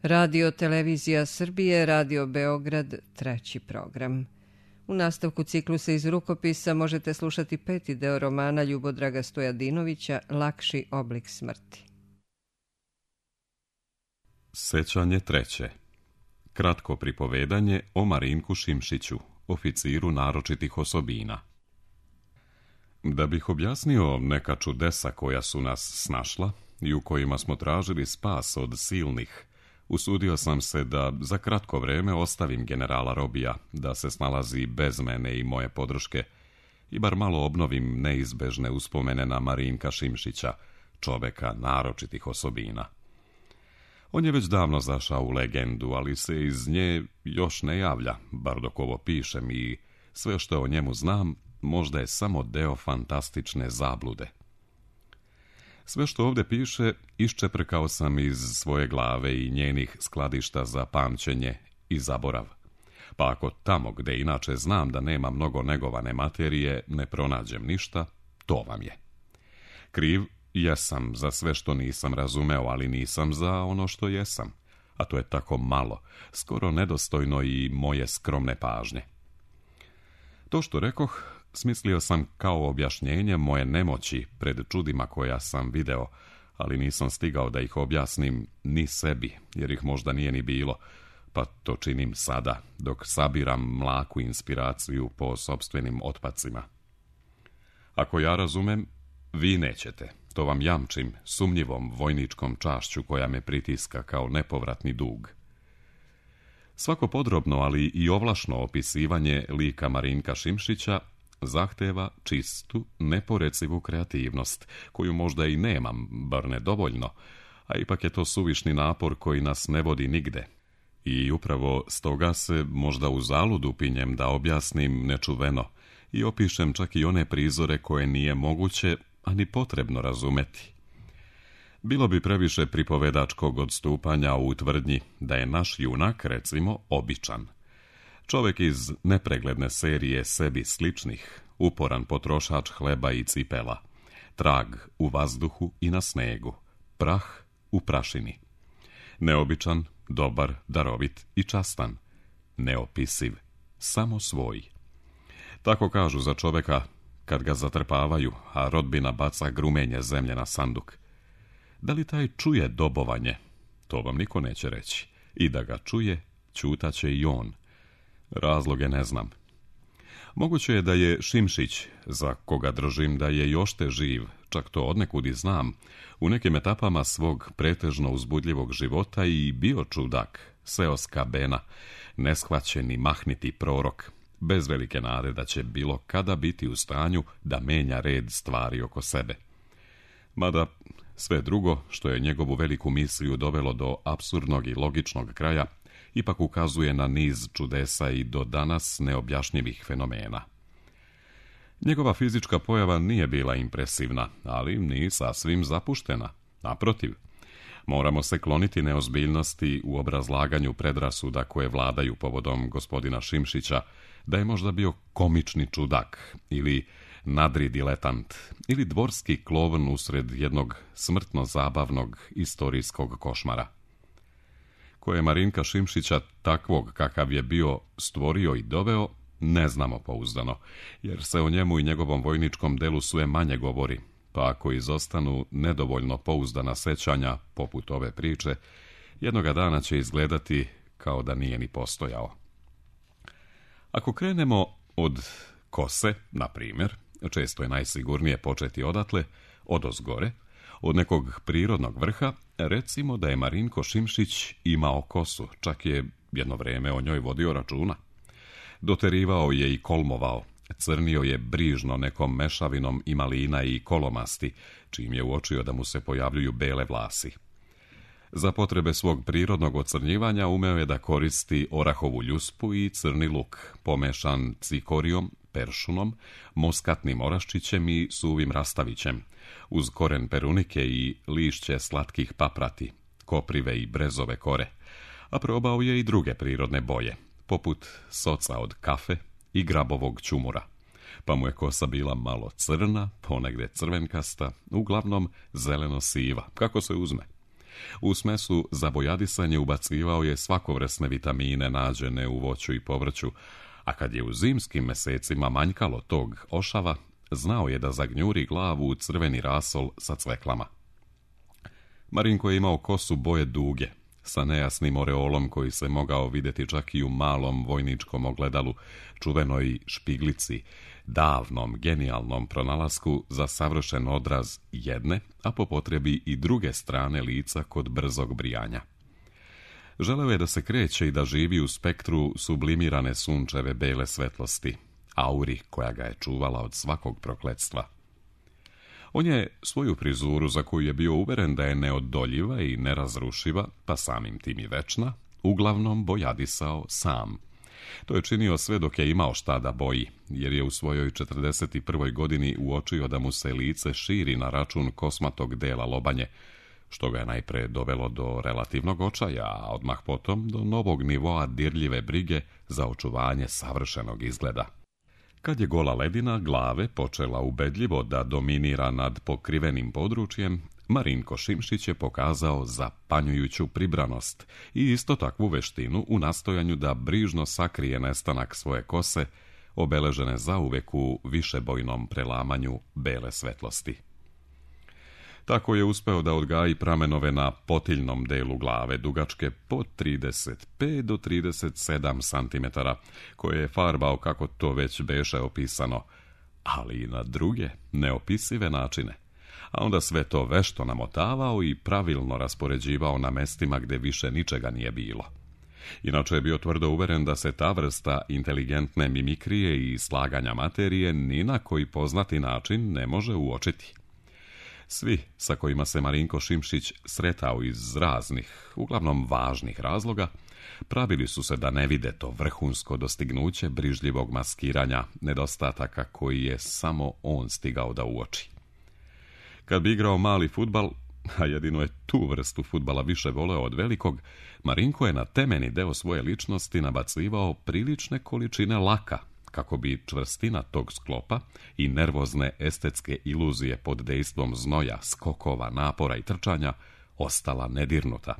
Radio Televizija Srbije, Radio Beograd, treći program. U nastavku ciklusa iz rukopisa možete slušati peti deo romana Ljubodraga Stojadinovića Lakši oblik smrti. Sećanje treće. Kratko pripovedanje o Marinku Šimšiću, oficiru naročitih osobina. Da bih objasnio neka čudesa koja su nas snašla i u kojima smo tražili spas od silnih, usudio sam se da za kratko vreme ostavim generala Robija da se snalazi bez mene i moje podrške i bar malo obnovim neizbežne uspomene na Marinka Šimšića, čoveka naročitih osobina. On je već davno zašao u legendu, ali se iz nje još ne javlja, bar dok ovo pišem, i sve što o njemu znam možda je samo deo fantastične zablude. Sve što ovdje piše iščeprkao sam iz svoje glave i njenih skladišta za pamćenje i zaborav. Pa ako tamo gde inače znam da nema mnogo negovane materije ne pronađem ništa, to vam je. Kriv jesam za sve što nisam razumeo, ali nisam za ono što jesam, a to je tako malo, skoro nedostojno i moje skromne pažnje. To što rekoh smislio sam kao objašnjenje moje nemoći pred čudima koja sam video, ali nisam stigao da ih objasnim ni sebi, jer ih možda nije ni bilo, pa to činim sada, dok sabiram mlaku inspiraciju po sopstvenim otpacima. Ako ja razumem, vi nećete, to vam jamčim sumnjivom vojničkom čašću koja me pritiska kao nepovratni dug. Svako podrobno, ali i ovlašno opisivanje lika Marinka Šimšića zahteva čistu, neporecivu kreativnost, koju možda i nemam, bar ne dovoljno, a ipak je to suvišni napor koji nas ne vodi nigde. I upravo stoga se možda u zaludu pinjem da objasnim nečuveno i opišem čak i one prizore koje nije moguće, a ni potrebno razumeti. Bilo bi previše pripovedačkog odstupanja u tvrdnji da je naš junak, recimo, običan. Čovjek iz nepregledne serije sebi sličnih, uporan potrošač hleba i cipela, trag u vazduhu i na snegu, prah u prašini. Neobičan, dobar, darovit i častan, neopisiv, samo svoj. Tako kažu za čovjeka kad ga zatrpavaju, a rodbina baca grumenje zemlje na sanduk. Da li taj čuje dobovanje? To vam niko neće reći. I da ga čuje, ćutaće i on. Razloge ne znam. Moguće je da je Šimšić, za koga držim da je još te živ, čak to odnekud i znam, u nekim etapama svog pretežno uzbudljivog života i bio čudak, seoska bena, neshvaćeni mahniti prorok, bez velike nade da će bilo kada biti u stanju da menja red stvari oko sebe. Mada sve drugo, što je njegovu veliku misliju dovelo do apsurdnog i logičnog kraja, ipak ukazuje na niz čudesa i do danas neobjašnjivih fenomena. Njegova fizička pojava nije bila impresivna, ali ni sasvim zapuštena. Naprotiv, moramo se kloniti neozbiljnosti u obrazlaganju predrasuda koje vladaju povodom gospodina Šimšića, da je možda bio komični čudak ili nadri diletant ili dvorski klovn usred jednog smrtno zabavnog istorijskog košmara. Ko je Marinka Šimšića, takvog kakav je bio, stvorio i doveo, ne znamo pouzdano, jer se o njemu i njegovom vojničkom delu sve manje govori, pa ako izostanu nedovoljno pouzdana sećanja, poput ove priče, jednoga dana će izgledati kao da nije ni postojao. Ako krenemo od kose, na primjer, često je najsigurnije početi odatle, odozgore, od nekog prirodnog vrha, recimo da je Marinko Šimšić imao kosu, čak je jedno vreme o njoj vodio računa. Doterivao je i kolmovao, crnio je brižno nekom mešavinom i malina i kolomasti, čim je uočio da mu se pojavljuju bele vlasi. Za potrebe svog prirodnog ocrnjivanja umeo je da koristi orahovu ljuspu i crni luk, pomešan cikorijom, peršunom, moskatnim oraščićem i suvim rastavićem, uz koren perunike i lišće slatkih paprati, koprive i brezove kore, a probao je i druge prirodne boje, poput soca od kafe i grabovog ćumura, pa mu je kosa bila malo crna, ponegde crvenkasta, uglavnom zeleno-siva, kako se uzme. U smesu za bojadisanje ubacivao je svakovrsne vitamine nađene u voću i povrću, a kad je u zimskim mesecima manjkalo tog ošava, znao je da zagnjuri glavu u crveni rasol sa cveklama. Marinko je imao kosu boje duge, sa nejasnim oreolom koji se mogao vidjeti čak i u malom vojničkom ogledalu, čuvenoj špiglici, davnom, genijalnom pronalasku za savršen odraz jedne, a po potrebi i druge strane lica kod brzog brijanja. Želeo je da se kreće i da živi u spektru sublimirane sunčeve bele svetlosti, auri koja ga je čuvala od svakog prokletstva. On je svoju frizuru, za koju je bio uveren da je neodoljiva i nerazrušiva, pa samim tim i večna, uglavnom bojadisao sam. To je činio sve dok je imao šta da boji, jer je u svojoj 41. godini uočio da mu se lice širi na račun kosmatog dela lobanje, što ga je najpre dovelo do relativnog očaja, a odmah potom do novog nivoa dirljive brige za očuvanje savršenog izgleda. Kad je gola ledina glave počela ubedljivo da dominira nad pokrivenim područjem, Marinko Šimšić je pokazao zapanjujuću pribranost i isto takvu veštinu u nastojanju da brižno sakrije nestanak svoje kose, obeležene zauvek u višebojnom prelamanju bele svetlosti. Tako je uspeo da odgaji pramenove na potiljnom delu glave, dugačke po 35 do 37 cm, koje je farbao kako to već beše opisano, ali i na druge, neopisive načine. A onda sve to vešto namotavao i pravilno raspoređivao na mestima gdje više ničega nije bilo. Inače je bio tvrdo uveren da se ta vrsta inteligentne mimikrije i slaganja materije ni na koji poznati način ne može uočiti. Svi sa kojima se Marinko Šimšić sretao iz raznih, uglavnom važnih razloga, pravili su se da ne vide to vrhunsko dostignuće brižljivog maskiranja nedostataka koji je samo on stigao da uoči. Kad bi igrao mali fudbal, a jedino je tu vrstu fudbala više voleo od velikog, Marinko je na temeni deo svoje ličnosti nabacivao prilične količine laka, kako bi čvrstina tog sklopa i nervozne estetske iluzije pod dejstvom znoja, skokova, napora i trčanja ostala nedirnuta.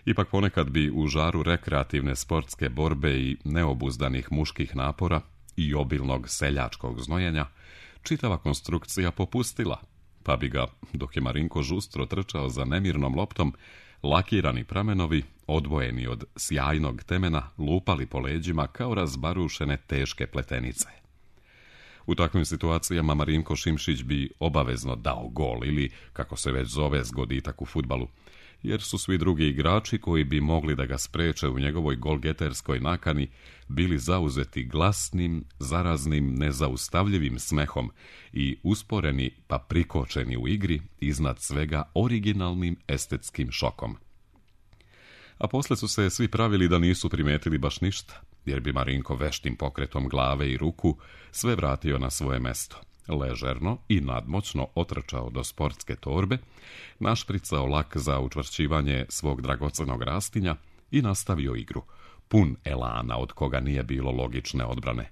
Ipak ponekad bi u žaru rekreativne sportske borbe i neobuzdanih muških napora i obilnog seljačkog znojenja čitava konstrukcija popustila, pa bi ga, dok je Marinko žustro trčao za nemirnom loptom, lakirani pramenovi, odvojeni od sjajnog temena, lupali po leđima kao razbarušene teške pletenice. U takvim situacijama Marinko Šimšić bi obavezno dao gol ili, kako se već zove, zgoditak u fudbalu, jer su svi drugi igrači koji bi mogli da ga spreče u njegovoj golgeterskoj nakani bili zauzeti glasnim, zaraznim, nezaustavljivim smehom i usporeni pa prikočeni u igri, iznad svega originalnim estetskim šokom. A posle su se svi pravili da nisu primetili baš ništa, jer bi Marinko veštim pokretom glave i ruku sve vratio na svoje mesto. Ležerno i nadmoćno otrčao do sportske torbe, našpricao lak za učvršćivanje svog dragocenog rastinja i nastavio igru, pun elana od koga nije bilo logične odbrane.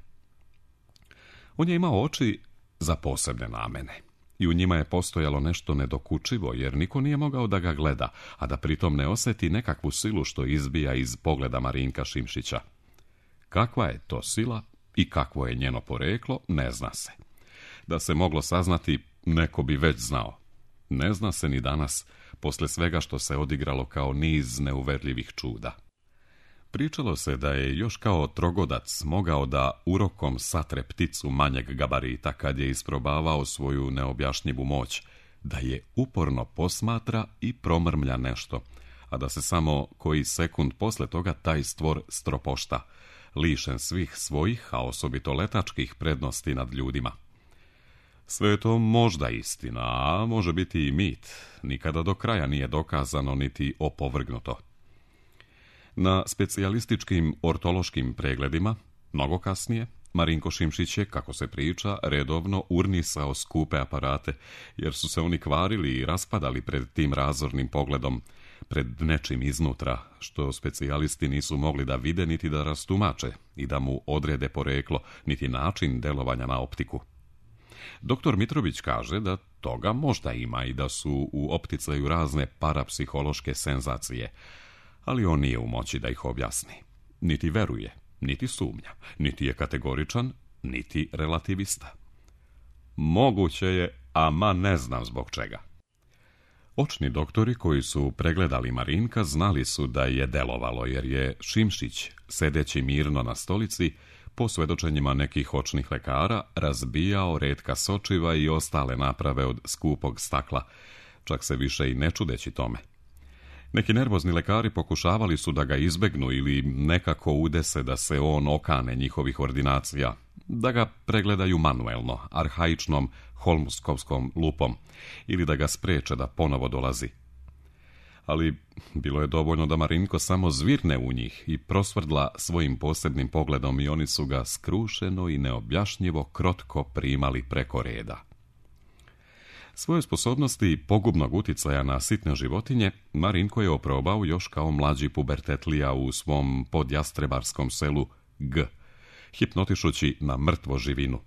On je imao oči za posebne namene i u njima je postojalo nešto nedokučivo, jer niko nije mogao da ga gleda, a da pritom ne osjeti nekakvu silu što izbija iz pogleda Marinka Šimšića. Kakva je to sila i kakvo je njeno poreklo, ne zna se. Da se moglo saznati, neko bi već znao. Ne zna se ni danas, posle svega što se odigralo kao niz neuverljivih čuda. Pričalo se da je još kao trogodac mogao da urokom satre pticu manjeg gabarita kad je isprobavao svoju neobjašnjivu moć, da je uporno posmatra i promrmlja nešto, a da se samo koji sekund posle toga taj stvor stropošta, lišen svih svojih, a osobito letačkih prednosti nad ljudima. Sve je to možda istina, a može biti i mit, nikada do kraja nije dokazano niti opovrgnuto. Na specijalističkim ortološkim pregledima, mnogo kasnije, Marinko Šimšić je, kako se priča, redovno urnisao skupe aparate, jer su se oni kvarili i raspadali pred tim razornim pogledom, pred nečim iznutra, što specijalisti nisu mogli da vide niti da rastumače i da mu odrede poreklo, niti način delovanja na optiku. Doktor Mitrović kaže da toga možda ima i da su u opticaju razne parapsihološke senzacije, ali on nije u moći da ih objasni. Niti veruje, niti sumnja, niti je kategoričan, niti relativista. Moguće je, ama ne znam zbog čega. Očni doktori koji su pregledali Marinka znali su da je delovalo, jer je Šimšić, sedeći mirno na stolici, po svedočenjima nekih očnih lekara, razbijao retka sočiva i ostale naprave od skupog stakla, čak se više i ne čudeći tome. Neki nervozni lekari pokušavali su da ga izbegnu ili nekako udese da se on okane njihovih ordinacija, da ga pregledaju manuelno, arhaičnom holmskovskom lupom, ili da ga spreče da ponovo dolazi. Ali bilo je dovoljno da Marinko samo zvirne u njih i prosvrdla svojim posebnim pogledom i oni su ga skrušeno i neobjašnjivo krotko primali preko reda. Svoje sposobnosti pogubnog uticaja na sitne životinje Marinko je oprobao još kao mlađi pubertetlija u svom podjastrebarskom selu G, hipnotišući na mrtvo živinu,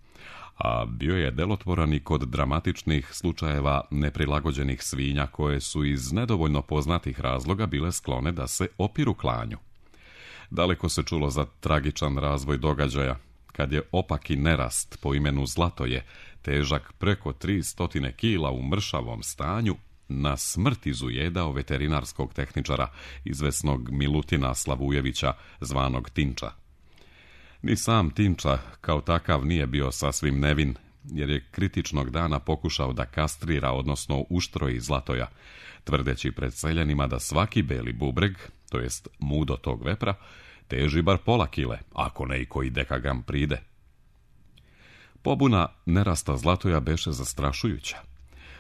a bio je delotvoran i kod dramatičnih slučajeva neprilagođenih svinja koje su iz nedovoljno poznatih razloga bile sklone da se opiru klanju. Daleko se čulo za tragičan razvoj događaja, kad je opaki nerast po imenu Zlatoje, težak preko 300 kila u mršavom stanju, na smrt izujedao veterinarskog tehničara, izvesnog Milutina Slavujevića, zvanog Tinča. Ni sam Tinča kao takav nije bio sasvim nevin, jer je kritičnog dana pokušao da kastrira, odnosno uštroji Zlatoja, tvrdeći pred seljanima da svaki beli bubreg, to jest mudo tog vepra, teži bar pola kile, ako ne i koji dekagram pride. Pobuna nerasta Zlatoja beše zastrašujuća.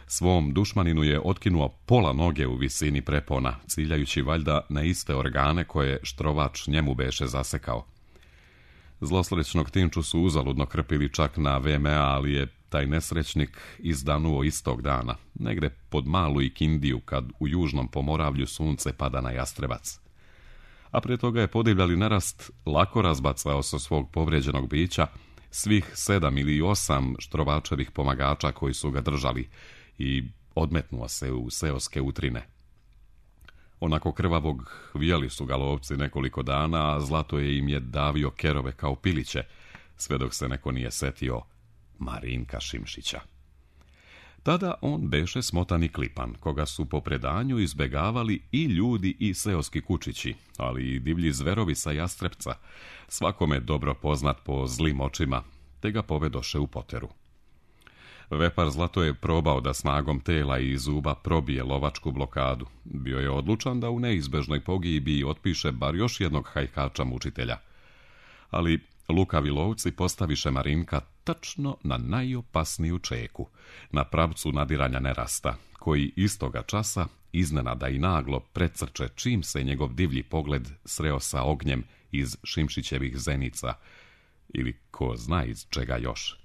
Svom dušmaninu je otkinuo pola noge u visini prepona, ciljajući valjda na iste organe koje štrovač njemu beše zasekao. Zlosrećnog Tinču su uzaludno krpili čak na VMA, ali je taj nesrećnik izdanuo istog dana, negde pod Malu Ikindiju, kad u južnom Pomoravlju sunce pada na Jastrebac. A prije toga je podivljali nerast lako razbacao sa svog povrijeđenog bića svih 7 ili 8 štrovačevih pomagača koji su ga držali i odmetnuo se u seoske utrine. Onako krvavog vijali su ga lovci nekoliko dana, a Zlatoje im je davio kerove kao piliće, sve dok se neko nije setio Marinka Šimšića. Tada on beše smotan i klipan, koga su po predanju izbegavali i ljudi i seoski kučići, ali i divlji zverovi sa Jastrebca, svakome dobro poznat po zlim očima, te ga povedoše u poteru. Vepar Zlato je probao da snagom tela i zuba probije lovačku blokadu. Bio je odlučan da u neizbežnoj pogibiji otpiše bar još jednog hajkača mučitelja. Ali lukavi lovci postaviše Marinka tačno na najopasniju čeku, na pravcu nadiranja nerasta, koji istoga časa iznenada i naglo precrče čim se njegov divlji pogled sreo sa ognjem iz Šimšićevih zenica, ili ko zna iz čega još.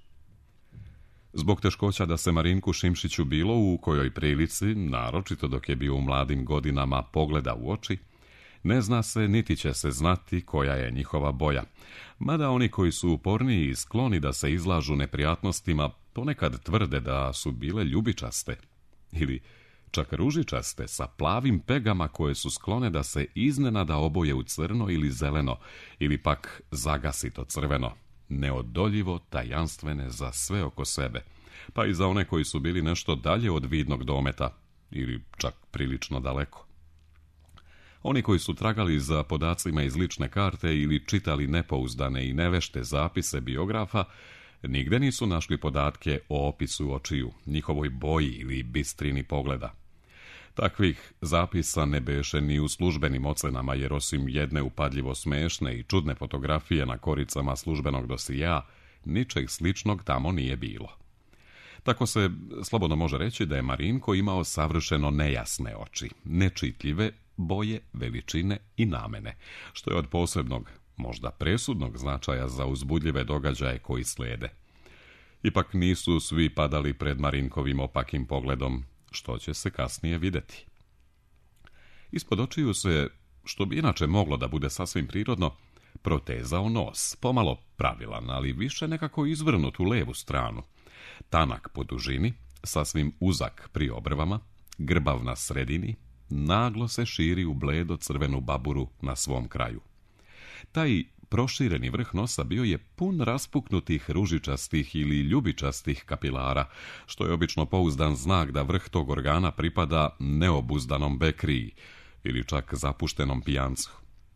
Zbog teškoća da se Marinku Šimšiću bilo u kojoj prilici, naročito dok je bio u mladim godinama, pogleda u oči, ne zna se niti će se znati koja je njihova boja, mada oni koji su uporniji i skloni da se izlažu neprijatnostima ponekad tvrde da su bile ljubičaste ili čak ružičaste sa plavim pegama koje su sklone da se iznenada oboje u crno ili zeleno ili pak zagasito crveno, neodoljivo tajanstvene za sve oko sebe, pa i za one koji su bili nešto dalje od vidnog dometa ili čak prilično daleko. Oni koji su tragali za podacima iz lične karte ili čitali nepouzdane i nevešte zapise biografa, nigde nisu našli podatke o opisu očiju, njihovoj boji ili bistrini pogleda. Takvih zapisa ne beše ni u službenim ocenama, jer osim jedne upadljivo smešne i čudne fotografije na koricama službenog dosija, ničeg sličnog tamo nije bilo. Tako se slobodno može reći da je Marinko imao savršeno nejasne oči, nečitljive boje, veličine i namene, što je od posebnog, možda presudnog značaja za uzbudljive događaje koji slijede. Ipak nisu svi padali pred Marinkovim opakim pogledom, što će se kasnije vidjeti. Ispod očiju se, što bi inače moglo da bude sasvim prirodno, protezao nos, pomalo pravilan, ali više nekako izvrnut u levu stranu, Tanak po dužini, sasvim uzak pri obrvama, grbav na sredini, naglo se širi u bledo crvenu baburu na svom kraju. Taj prošireni vrh nosa bio je pun raspuknutih ružičastih ili ljubičastih kapilara, što je obično pouzdan znak da vrh tog organa pripada neobuzdanom bekriji ili čak zapuštenom pijancu.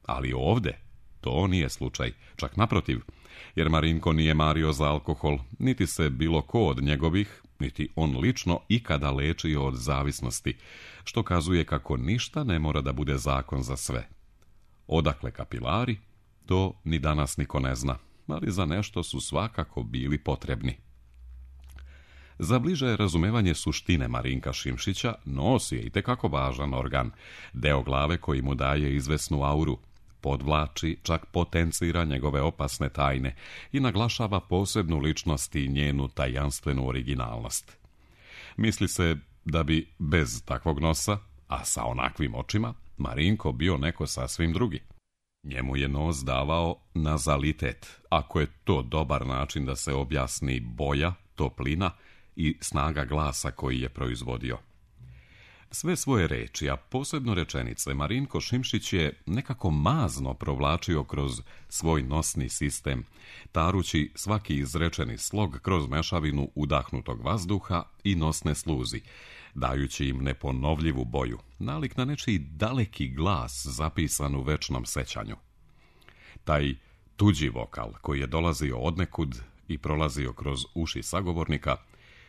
Ali ovde to nije slučaj, čak naprotiv, jer Marinko nije mario za alkohol, niti se bilo ko od njegovih, niti on lično ikada lečio od zavisnosti, što kazuje kako ništa ne mora da bude zakon za sve. Odakle kapilari, to ni danas niko ne zna, ali za nešto su svakako bili potrebni. Za bliže razumevanje suštine Marinka Šimšića nos je itekako važan organ, deo glave koji mu daje izvesnu auru, podvlači, čak potencira njegove opasne tajne i naglašava posebnu ličnost i njenu tajanstvenu originalnost. Misli se da bi bez takvog nosa, a sa onakvim očima, Marinko bio neko sasvim drugi. Njemu je nos davao nazalitet, ako je to dobar način da se objasni boja, toplina i snaga glasa koji je proizvodio. Sve svoje reči, a posebno rečenice, Marinko Šimšić je nekako mazno provlačio kroz svoj nosni sistem, tarući svaki izrečeni slog kroz mešavinu udahnutog vazduha i nosne sluzi, dajući im neponovljivu boju, nalik na nečiji daleki glas zapisan u večnom sećanju. Taj tuđi vokal koji je dolazio odnekud i prolazio kroz uši sagovornika,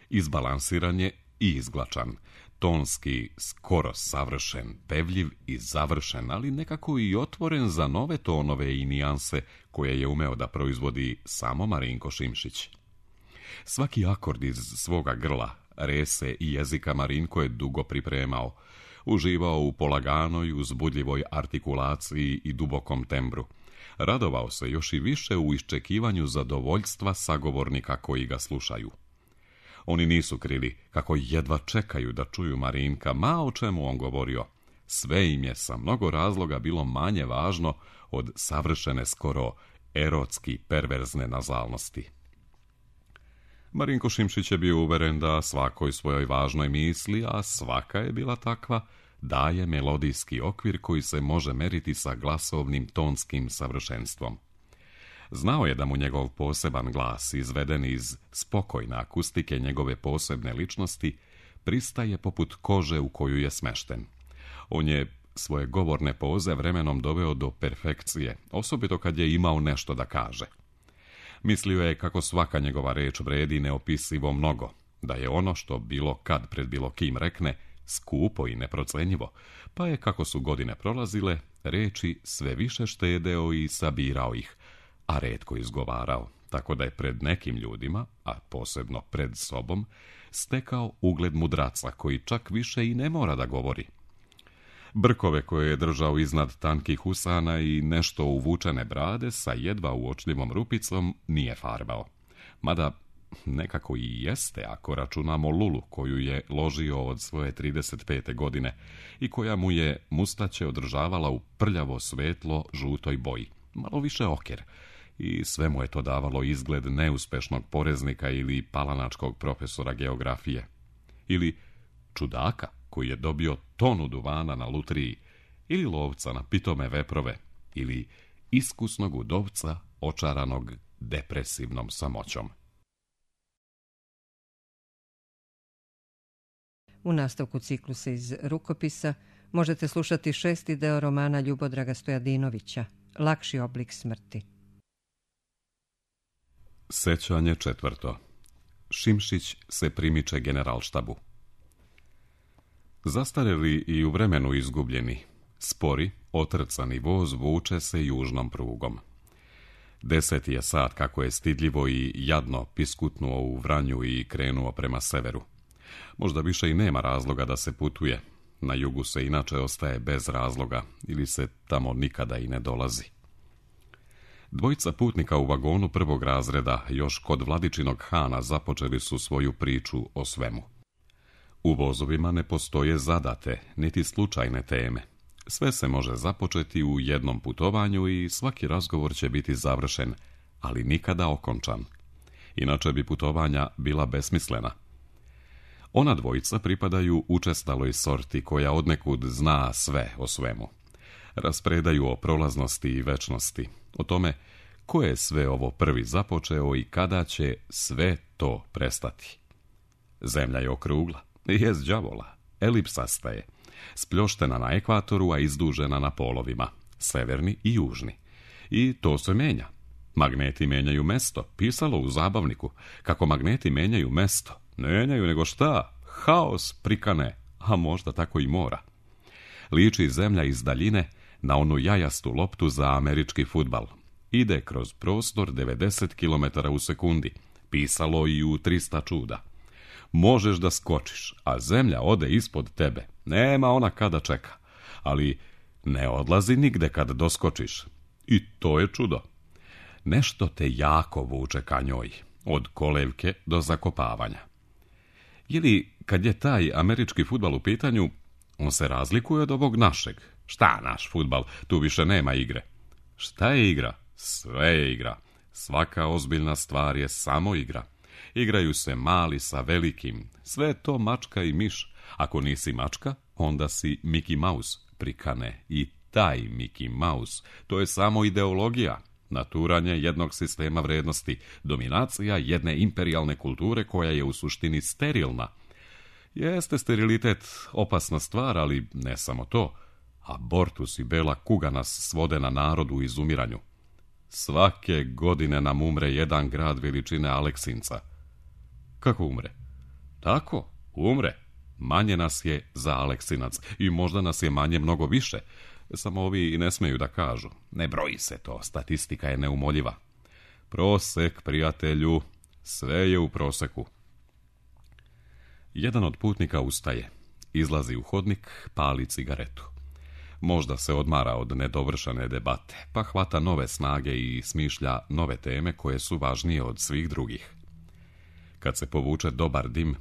izbalansiran je i izglačan, tonski skoro savršen, pevljiv i završen, ali nekako i otvoren za nove tonove i nijanse koje je umeo da proizvodi samo Marinko Šimšić. Svaki akord iz svoga grla, rese i jezika Marinko je dugo pripremao, uživao u polaganoj, uzbudljivoj artikulaciji i dubokom tembru. Radovao se još i više u iščekivanju zadovoljstva sagovornika koji ga slušaju. Oni nisu krili kako jedva čekaju da čuju Marinka, ma o čemu on govorio. Sve im je sa mnogo razloga bilo manje važno od savršene, skoro erotski perverzne nazalnosti. Marinko Šimšić je bio uveren da svakoj svojoj važnoj misli, a svaka je bila takva, daje melodijski okvir koji se može meriti sa glasovnim tonskim savršenstvom. Znao je da mu njegov poseban glas, izveden iz spokojne akustike njegove posebne ličnosti, pristaje poput kože u koju je smešten. On je svoje govorne poze vremenom doveo do perfekcije, osobito kad je imao nešto da kaže. Mislio je kako svaka njegova reč vredi neopisivo mnogo, da je ono što bilo kad pred bilo kim rekne skupo i neprocenjivo, pa je, kako su godine prolazile, reči sve više štedeo i sabirao ih, a retko izgovarao, tako da je pred nekim ljudima, a posebno pred sobom, stekao ugled mudraca koji čak više i ne mora da govori. Brkove koje je držao iznad tankih usana i nešto uvučene brade sa jedva uočljivom rupicom nije farbao. Mada nekako i jeste ako računamo lulu koju je ložio od svoje 35. godine i koja mu je mustaće održavala u prljavo svetlo žutoj boji, malo više oker, i sve mu je to davalo izgled neuspešnog poreznika ili palanačkog profesora geografije. Ili čudaka koji je dobio tonu duvana na lutriji, ili lovca na pitome veprove, ili iskusnog udovca očaranog depresivnom samoćom. U nastavku ciklusa iz rukopisa možete slušati 6. deo romana Ljubodraga Stojadinovića, Lakši oblik smrti. Sećanje 4. Šimšić se primiče generalštabu. Zastareli i u vremenu izgubljeni, spori, otrcani voz vuče se južnom prugom. 10. je sat kako je stidljivo i jadno piskutnuo u Vranju i krenuo prema severu. Možda više i nema razloga da se putuje. Na jugu se inače ostaje bez razloga ili se tamo nikada i ne dolazi. Dvojica putnika u vagonu prvog razreda još kod Vladičinog Hana započeli su svoju priču o svemu. U vozovima ne postoje zadate, niti slučajne teme. Sve se može započeti u jednom putovanju i svaki razgovor će biti završen, ali nikada okončan. inače bi putovanja bila besmislena. Ona dvojica pripadaju učestaloj sorti koja odnekud zna sve o svemu. Raspredaju o prolaznosti i večnosti, o tome ko je sve ovo prvi započeo i kada će sve to prestati. Zemlja je okrugla, jest đavola, elipsasta je, spljoštena na ekvatoru, a izdužena na polovima, severni i južni. I to se menja. Magneti menjaju mesto, pisalo u zabavniku, kako magneti menjaju mesto. Menjaju nego šta? Haos prikane, a možda tako i mora. Liči zemlja iz daljine na onu jajastu loptu za američki fudbal. Ide kroz prostor 90 km u sekundi, pisalo i u 300 čuda. Možeš da skočiš, a zemlja ode ispod tebe. Nema ona kada čeka, ali ne odlazi nigde kad doskočiš. I to je čudo. Nešto te jako vuče ka njoj, od kolevke do zakopavanja. Ili, kad je taj američki fudbal u pitanju, on se razlikuje od ovog našeg. Šta naš fudbal? Tu više nema igre. Šta je igra? Sve je igra. Svaka ozbiljna stvar je samo igra. Igraju se mali sa velikim. Sve je to mačka i miš. Ako nisi mačka, onda si Mickey Mouse, prikane. I taj Mickey Mouse, to je samo ideologija. Naturanje jednog sistema vrednosti, dominacija jedne imperijalne kulture koja je u suštini sterilna. Jeste sterilitet opasna stvar, ali ne samo to. Abortus i bela kuga nas svode na narodu u izumiranju. Svake godine nam umre jedan grad veličine Aleksinca. Kako umre? Tako, umre. Manje nas je za Aleksinac i možda nas je manje mnogo više. Samo ovi ne smeju da kažu. Ne broji se to, statistika je neumoljiva. Prosek, prijatelju, sve je u proseku. Jedan od putnika ustaje, izlazi u hodnik, pali cigaretu. Možda se odmara od nedovršene debate, pa hvata nove snage i smišlja nove teme koje su važnije od svih drugih. Kad se povuče dobar dim,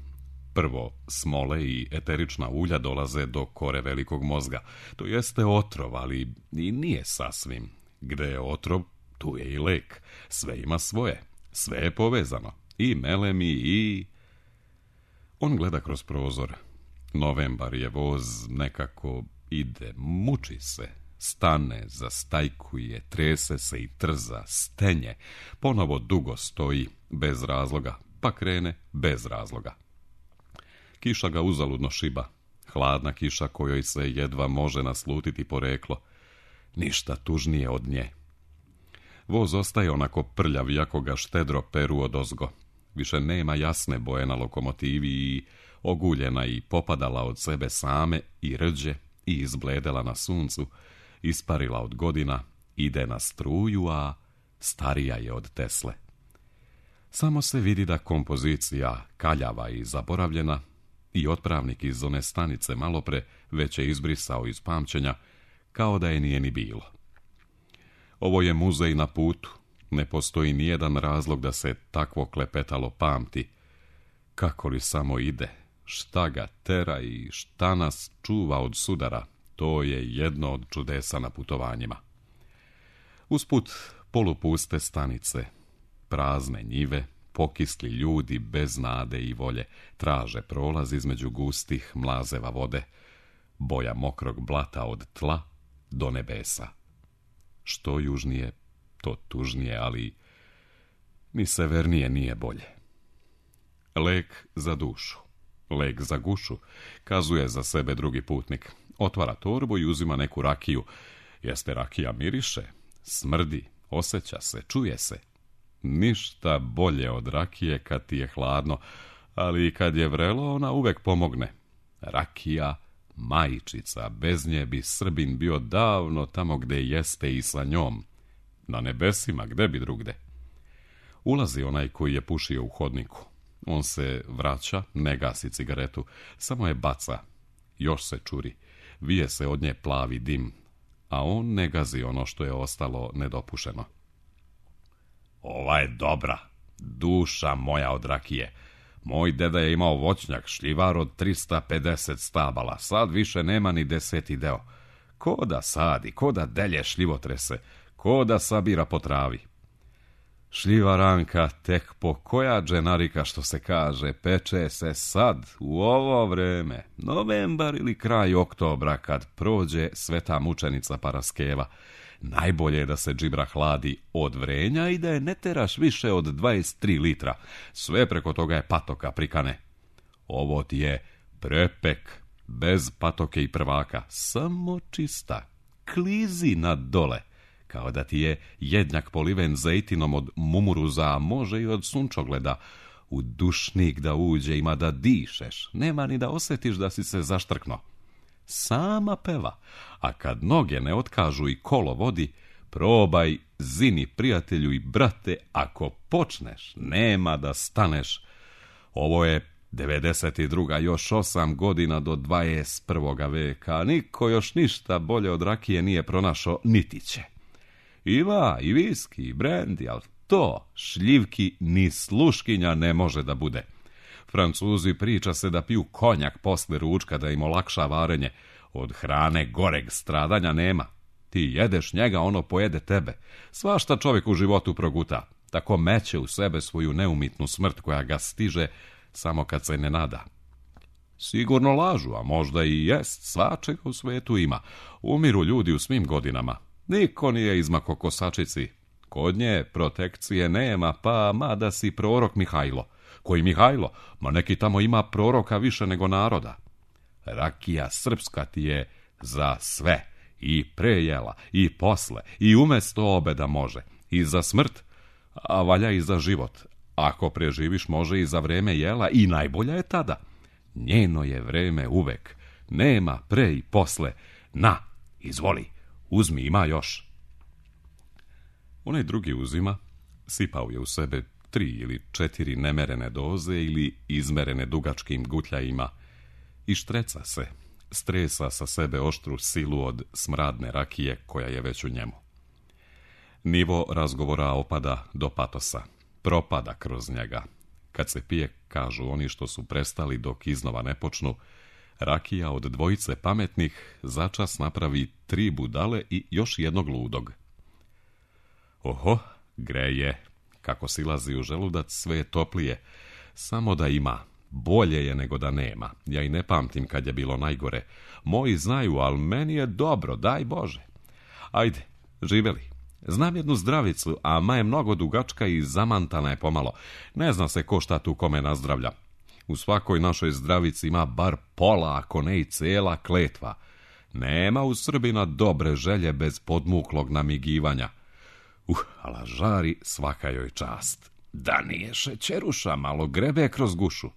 prvo smole i eterična ulja dolaze do kore velikog mozga. To jeste otrov, ali i nije sasvim. Gde je otrov, tu je i lek. Sve ima svoje. Sve je povezano. I melemi i... On gleda kroz prozor. Novembar je voz, nekako ide, muči se. Stane, zastajkuje, trese se i trza, stenje. Ponovo dugo stoji, bez razloga, pa krene bez razloga. Kiša ga uzaludno šiba. Hladna kiša kojoj se jedva može naslutiti poreklo. Ništa tužnije od nje. Voz ostaje onako prljav, jako ga štedro peru odozgo. Više nema jasne boje na lokomotivi i oguljena i popadala od sebe same i rđe i izbledela na suncu, isparila od godina, ide na struju, a starija je od Tesle. Samo se vidi da kompozicija kaljava i zaboravljena i otpravnik iz one stanice malopre već je izbrisao iz pamćenja, kao da je nije ni bilo. Ovo je muzej na putu, ne postoji nijedan razlog da se takvo klepetalo pamti. Kako li samo ide, šta ga tera i šta nas čuva od sudara, to je jedno od čudesa na putovanjima. Usput polupuste stanice, prazne njive, pokisli ljudi bez nade i volje, traže prolaz između gustih mlazeva vode, boja mokrog blata od tla do nebesa. Što južnije, to tužnije, ali ni severnije nije bolje. Lek za dušu, lek za gušu, kazuje za sebe drugi putnik. Otvara torbu i uzima neku rakiju. Jeste rakija miriše, smrdi, osjeća se, čuje se. Ništa bolje od rakije kad ti je hladno, ali i kad je vrelo ona uvek pomogne. Rakija, majčica, bez nje bi Srbin bio davno tamo gde jeste i sa njom. Na nebesima, gde bi drugde. Ulazi onaj koji je pušio u hodniku. On se vraća, ne gasi cigaretu, samo je baca. Još se čuri, vije se od nje plavi dim, a on ne gazi ono što je ostalo nedopušeno. Ova je dobra, duša moja od rakije. Moj deda je imao voćnjak, šljivar od 350 stabala, sad više nema ni 10. deo. Ko da sadi, ko da delje šljivotrese, ko da sabira po travi. Šljiva Ranka tek po koja dženarika, što se kaže, peče se sad, u ovo vreme, novembar ili kraj oktobra, kad prođe sveta mučenica Paraskeva. Najbolje je da se džibra hladi od vrenja i da je ne teraš više od 23 litra. Sve preko toga je patoka prikane. Ovo ti je prepek, bez patoke i prvaka, samo čista, klizi nad dole. Kao da ti je jednjak poliven zejtinom od mumuruza, a može i od sunčogleda. U dušnik da uđe, ima da dišeš, nema ni da osjetiš da si se zaštrkno. Sama peva, a kad noge ne otkažu i kolo vodi, probaj, zini, prijatelju i brate, ako počneš, nema da staneš. Ovo je 92. još 8 godina do 21. veka, niko još ništa bolje od rakije nije pronašao, niti će. Ima i viski i brendi, ali to šljivki ni sluškinja ne može da bude. Francuzi priča se da piju konjak posle ručka da im olakša varenje. Od hrane goreg stradanja nema. Ti jedeš njega, ono pojede tebe. Svašta čovjek u životu proguta. Tako meće u sebe svoju neumitnu smrt koja ga stiže samo kad se ne nada. Sigurno lažu, a možda i jest, svačega u svetu ima. Umiru ljudi u svim godinama. Niko nije izmako kosačici. Kod nje protekcije nema, pa mada si prorok Mihajlo. Koji Mihajlo? Ma neki tamo ima proroka više nego naroda. Rakija srpska ti je za sve. I prejela, i posle, i umesto obeda može. I za smrt, a valja i za život. Ako preživiš, može i za vreme jela, i najbolja je tada. Njeno je vreme uvek. Nema pre i posle. Na, izvoli, uzmi, ima još. Onaj drugi uzima, sipao je u sebe 3 ili 4 nemerene doze ili izmerene dugačkim gutljajima i štreca se, stresa sa sebe oštru silu od smradne rakije koja je već u njemu. Nivo razgovora opada do patosa, propada kroz njega. Kad se pije, kažu oni što su prestali dok iznova ne počnu, rakija od dvojice pametnih začas napravi 3 budale i još jednog ludog. Oho, greje, kako silazi u želudac, sve je toplije. Samo da ima, bolje je nego da nema. Ja i ne pamtim kad je bilo najgore. Moji znaju, ali meni je dobro, daj Bože. Ajde, živeli. Znam jednu zdravicu, a ma je mnogo dugačka i zamantana je pomalo. Ne zna se ko šta tu kome nazdravlja. U svakoj našoj zdravici ima bar pola, ako ne i cela kletva. Nema u Srbina dobre želje bez podmuklog namigivanja. Ala žari, svaka joj čast. Da nije šećeruša, malo grebe kroz gušu.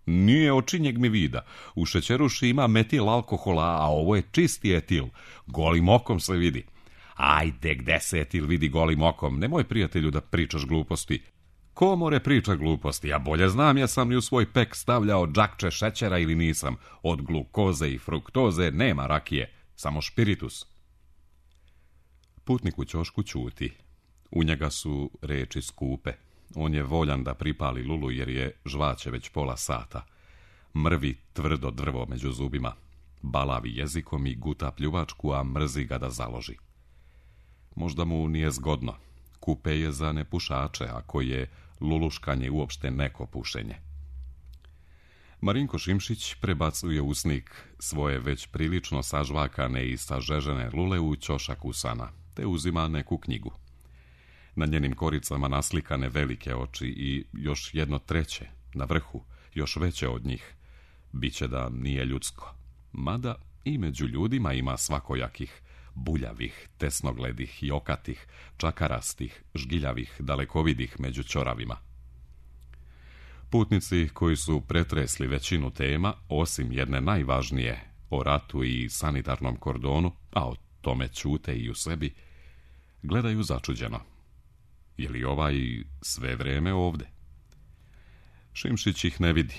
Nije očinjeg mi vida. U šećeruši ima metil alkohola, a ovo je čisti etil. Golim okom se vidi. Ajde, gde se etil vidi golim okom? Nemoj, prijatelju, da pričaš gluposti. Ko more priča gluposti? Ja bolje znam, ja sam li u svoj pek stavljao džakče šećera ili nisam. Od glukoze i fruktoze nema rakije, samo špiritus. Putnik u ćošku ćuti. U njega su reči skupe. On je voljan da pripali lulu jer je žvaće već pola sata. Mrvi tvrdo drvo među zubima. Balavi jezikom i guta pljuvačku, a mrzi ga da založi. Možda mu nije zgodno. Kupe je za nepušače, ako je luluškanje uopšte neko pušenje. Marinko Šimšić prebacuje usnik svoje već prilično sažvakane i sažežene lule u ćošak usana, te uzima neku knjigu. Na njenim koricama naslikane velike oči i još jedno treće, na vrhu, još veće od njih. Biće da nije ljudsko. Mada i među ljudima ima svakojakih, buljavih, tesnogledih i okatih, čakarastih, žgiljavih, dalekovidih među ćoravima. Putnici koji su pretresli većinu tema, osim jedne najvažnije, o ratu i sanitarnom kordonu, a o tome ćute i u sebi, gledaju začuđeno. Je li ovaj sve vreme ovde? Šimšić ih ne vidi.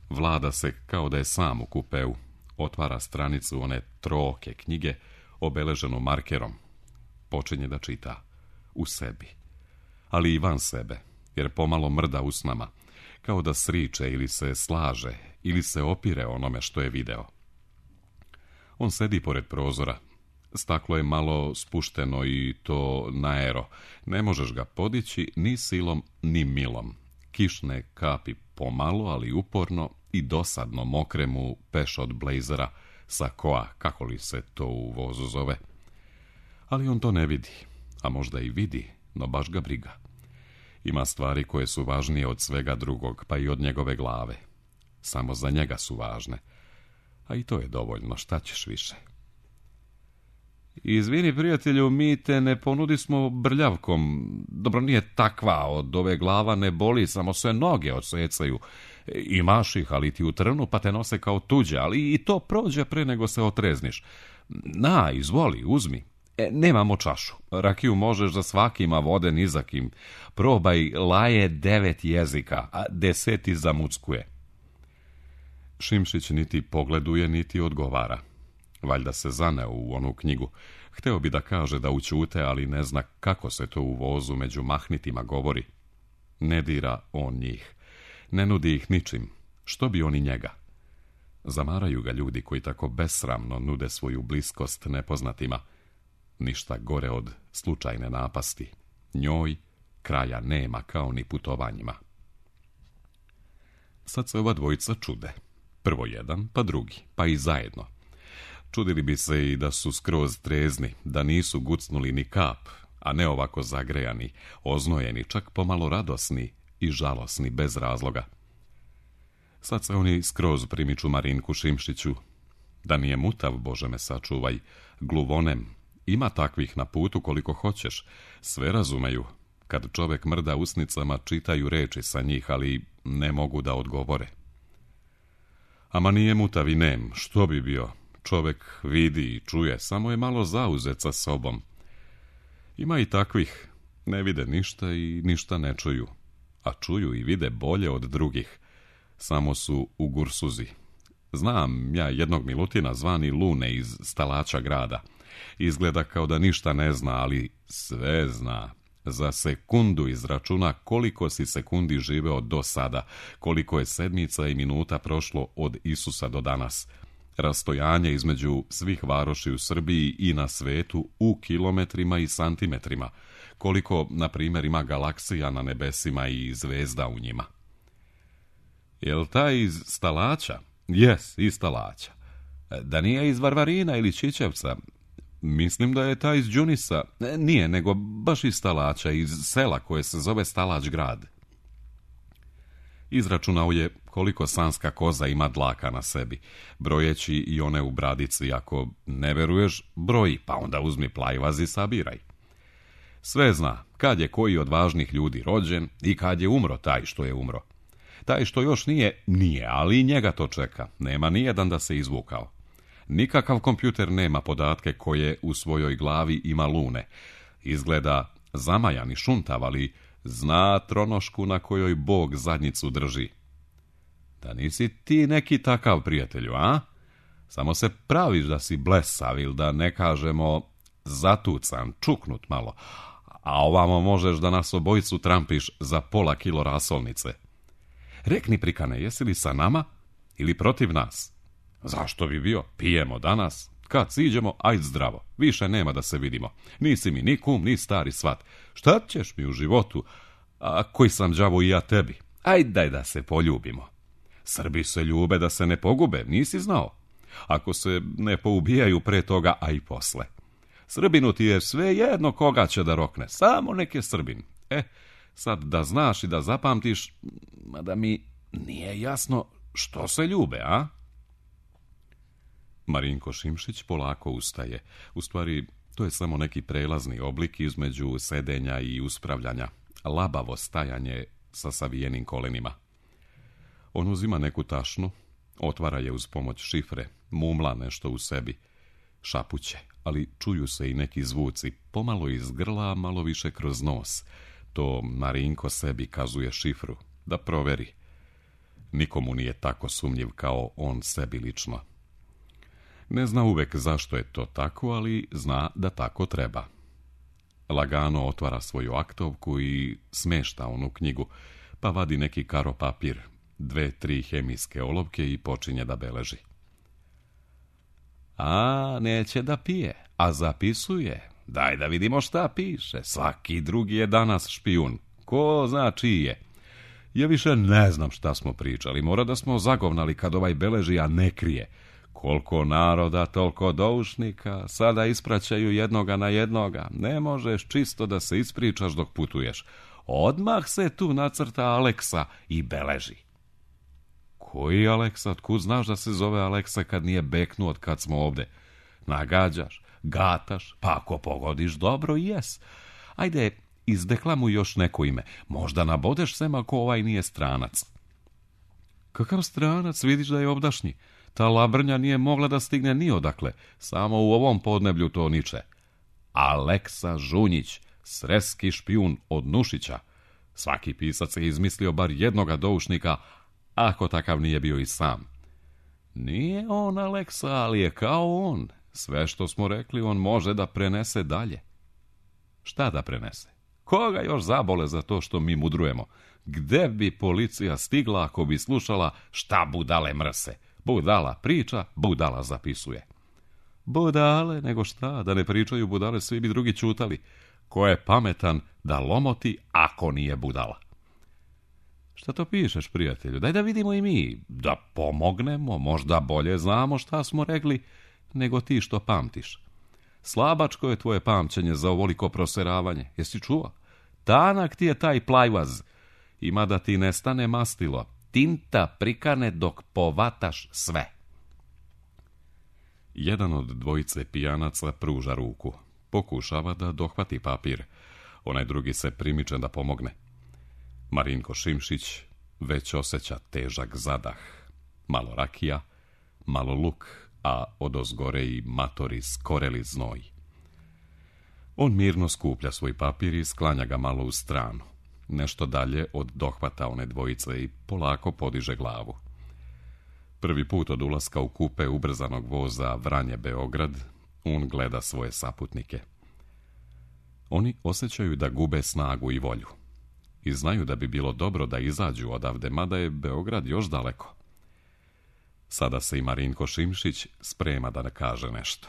Vlada se kao da je sam u kupeu. Otvara stranicu one troke knjige, obeleženu markerom. Počinje da čita. U sebi. Ali i van sebe, jer pomalo mrda usnama. Kao da sriče ili se slaže, ili se opire onome što je video. On sedi pored prozora. Staklo je malo spušteno i to naero. Ne možeš ga podići ni silom, ni milom. Kišne kapi pomalo, ali uporno i dosadno mokre mu peš od blejzera, sakoa, kako li se to u vozu zove. Ali on to ne vidi, a možda i vidi, no baš ga briga. Ima stvari koje su važnije od svega drugog, pa i od njegove glave. Samo za njega su važne. A i to je dovoljno, šta ćeš više? Izvini, prijatelju, mi te ne ponudismo brljavkom. Dobro, nije takva, od ove glava ne boli, samo se noge odsecaju. Imaš ih, ali ti u trnu, pa te nose kao tuđe, ali i to prođe pre nego se otrezniš. Na, izvoli, uzmi. Nemamo čašu. Rakiju možeš za svakima, vode ni za kim. Probaj, laje 9 jezika, a 10 zamuckuje. Šimšić niti pogleduje, niti odgovara. Valjda se zaneo u onu knjigu. Hteo bi da kaže da ućute, ali ne zna kako se to u vozu među mahnitima govori. Ne dira on njih. Ne nudi ih ničim. Što bi oni njega? Zamaraju ga ljudi koji tako besramno nude svoju bliskost nepoznatima. Ništa gore od slučajne napasti. Njoj kraja nema kao ni putovanjima. Sad se ova dvojica čude. Prvo jedan, pa drugi, pa i zajedno. Čudili bi se i da su skroz trezni, da nisu gucnuli ni kap, a ne ovako zagrejani, oznojeni, čak pomalo radosni i žalosni bez razloga. Sad se oni skroz primiču Marinku Šimšiću. Da nije mutav, Bože me sačuvaj, gluvonem. Ima takvih na putu koliko hoćeš. Sve razumeju. Kad čovek mrda usnicama, čitaju reči sa njih, ali ne mogu da odgovore. Ama nije mutav i nem, što bi bio? Čovek vidi i čuje, samo je malo zauzet sa sobom. Ima i takvih, ne vide ništa i ništa ne čuju, a čuju i vide bolje od drugih. Samo su u gursuzi. Znam ja jednog Milutina zvani Lune iz Stalaća grada. Izgleda kao da ništa ne zna, ali sve zna. Za sekundu izračuna koliko si sekundi živeo do sada, koliko je sedmica i minuta prošlo od Isusa do danas. Rastojanje između svih varoši u Srbiji i na svetu u kilometrima i santimetrima, koliko, na primjer, ima galaksija na nebesima i zvezda u njima. Jel taj iz Stalaća? Jes, iz Stalaća. Da nije iz Varvarina ili Čičevca? Mislim da je taj iz Đunisa. Nije, nego baš iz Stalaća, iz sela koje se zove Stalać grad. Izračunao je koliko sanska koza ima dlaka na sebi, brojeći i one u bradici. Ako ne veruješ, broji, pa onda uzmi plajvaz i sabiraj. Sve zna, kad je koji od važnih ljudi rođen i kad je umro taj što je umro. Taj što još nije, ali i njega to čeka. Nema nijedan da se izvukao. Nikakav kompjuter nema podatke koje u svojoj glavi ima Lune. Izgleda zamajan i šuntav, ali zna tronošku na kojoj Bog zadnjicu drži. Da nisi ti neki takav, prijatelju, a? Samo se praviš da si blesav ili da ne kažemo zatucan, čuknut malo, a ovamo možeš da nas obojicu trampiš za pola kilo rasolnice. Rekni, prikane, jesi li sa nama ili protiv nas? Zašto bi bio? Pijemo danas. Kad siđemo, ajd zdravo. Više nema da se vidimo. Nisi mi ni kum, ni stari svat. Šta ćeš mi u životu? A koji sam đavo i ja tebi? Ajd daj da se poljubimo. Srbi se ljube da se ne pogube, nisi znao? Ako se ne poubijaju pre toga, a i posle. Srbinu ti je sve jedno koga će da rokne. Samo nek je Srbin. Sad da znaš i da zapamtiš, mada mi nije jasno što se ljube, a? Marinko Šimšić polako ustaje. U stvari, to je samo neki prelazni oblik između sedenja i uspravljanja. Labavo stajanje sa savijenim kolenima. On uzima neku tašnu, otvara je uz pomoć šifre, mumla nešto u sebi. Šapuće, ali čuju se i neki zvuci, pomalo iz grla, malo više kroz nos. To Marinko sebi kazuje šifru, da proveri. Nikomu nije tako sumnjiv kao on sebi lično. Ne zna uvek zašto je to tako, ali zna da tako treba. Lagano otvara svoju aktovku i smešta onu knjigu, pa vadi neki karo papir, 2-3 hemijske olovke i počinje da beleži. A, neće da pije, A zapisuje, daj da vidimo šta piše, svaki drugi je danas špijun, ko zna čiji je. Ja više ne znam šta smo pričali, mora da smo zagovnali kad ovaj beleži, a ne krije. Koliko naroda, toliko doušnika, sada ispraćaju jednoga na jednoga, ne možeš čisto da se ispričaš dok putuješ. Odmah se tu nacrta Aleksa i beleži. Koji Aleksa? Otkud znaš da se zove Aleksa kad nije beknuo od kad smo ovde? Nagađaš, gataš, pa ako pogodiš dobro i jes. Ajde, izdeklamuj još neko ime. Možda nabodeš sem ako ovaj nije stranac. Kakav stranac? Vidiš da je ovdašnji. Ta labrnja nije mogla da stigne ni odakle. Samo u ovom podneblju to niče. Aleksa Žunjić, sreski špijun od Nušića. Svaki pisac je izmislio bar jednoga doušnika, ako takav nije bio i sam. Nije on Aleksa, ali je kao on. Sve što smo rekli on može da prenese dalje. Šta da prenese? Koga još zabole za to što mi mudrujemo? Gde bi policija stigla ako bi slušala šta budale mrse? Budala priča, budala zapisuje. Budale, nego šta, da ne pričaju budale, svi bi drugi čutali. Ko je pametan da lomoti ako nije budala? Šta to pišeš, prijatelju? Daj da vidimo i mi, da pomognemo, možda bolje znamo šta smo rekli, nego ti što pamtiš. Slabačko je tvoje pamćenje za ovoliko proseravanje, jesi čuo? Tanak ti je taj plajvaz, ima da ti nestane mastilo, tinta prikane dok povataš sve. Jedan od dvojice pijanaca pruža ruku, pokušava da dohvati papir, onaj drugi se primiče da pomogne. Marinko Šimšić već osjeća težak zadah, malo rakija, malo luk, a odozgore i matori skoreli znoj. On mirno skuplja svoj papir i sklanja ga malo u stranu, nešto dalje od dohvata one dvojice i polako podiže glavu. Prvi put od ulaska u kupe ubrzanog voza Vranje-Beograd, on gleda svoje saputnike. Oni osjećaju da gube snagu i volju i znaju da bi bilo dobro da izađu odavde, mada je Beograd još daleko. Sada se i Marinko Šimšić sprema da ne kaže nešto.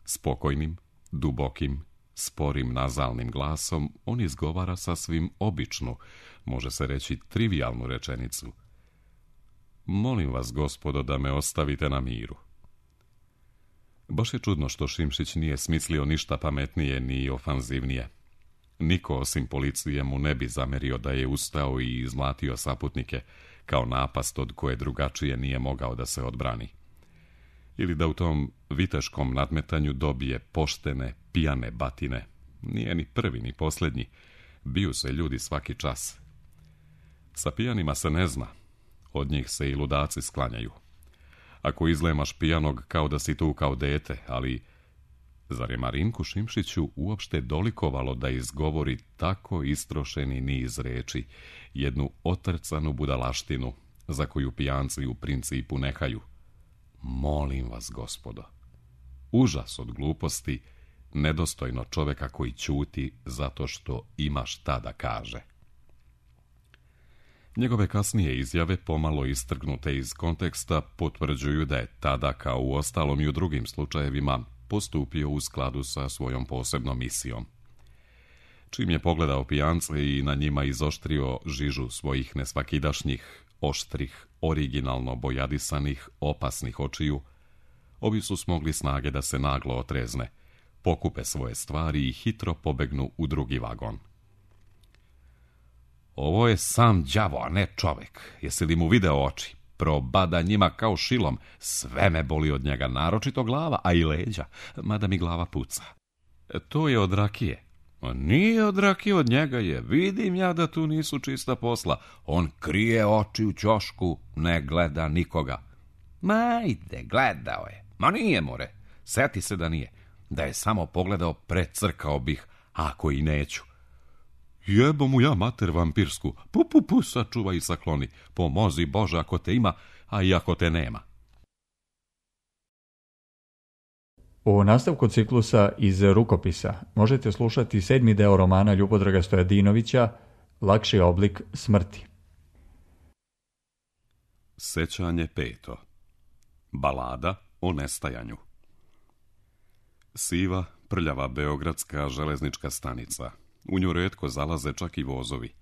Spokojnim, dubokim, sporim nazalnim glasom on izgovara sasvim običnu, može se reći trivijalnu rečenicu. Molim vas, gospodo, da me ostavite na miru. Baš je čudno što Šimšić nije smislio ništa pametnije ni ofanzivnije. Niko osim policije mu ne bi zamerio da je ustao i izmlatio saputnike, kao napast od koje drugačije nije mogao da se odbrani. Ili da u tom viteškom nadmetanju dobije poštene, pijane batine. Nije ni prvi, ni posljednji. Biju se ljudi svaki čas. Sa pijanima se ne zna. Od njih se i ludaci sklanjaju. Ako izlemaš pijanog kao da si tu kao dete, ali zar je Marinku Šimšiću uopšte dolikovalo da izgovori tako istrošeni niz reči, jednu otrcanu budalaštinu, za koju pijanci u principu nehaju? Molim vas, gospodo. Užas od gluposti, nedostojno čoveka koji ćuti zato što ima šta da kaže. Njegove kasnije izjave, pomalo istrgnute iz konteksta, potvrđuju da je tada, kao u ostalom i u drugim slučajevima, postupio u skladu sa svojom posebnom misijom. Čim je pogledao pijance i na njima izoštrio žižu svojih nesvakidašnjih, oštrih, originalno bojadisanih, opasnih očiju, ovi su smogli snage da se naglo otrezne, pokupe svoje stvari i hitro pobegnu u drugi vagon. Ovo je sam đavo, a ne čovek. Jesi li mu video oči? Probada njima kao šilom. Sve me boli od njega, naročito glava, a i leđa, mada mi glava puca. To je od rakije. Nije od rakije, od njega je. Vidim ja da tu nisu čista posla. On krije oči u ćošku, ne gleda nikoga. Ma ide, gledao je. Ma nije, more. Seti se da nije. Da je samo pogledao, precrkao bih, ako i neću. Jebo mu ja mater vampirsku. Pu, sačuvaj i sakloni. Pomozi Bože ako te ima, a i ako te nema. U nastavku ciklusa iz rukopisa možete slušati 7. deo romana Ljubodraga Stojadinovića Lakši oblik smrti. Sećanje 5. Balada o nestajanju. Siva, prljava beogradska železnička stanica. U nju retko zalaze čak i vozovi.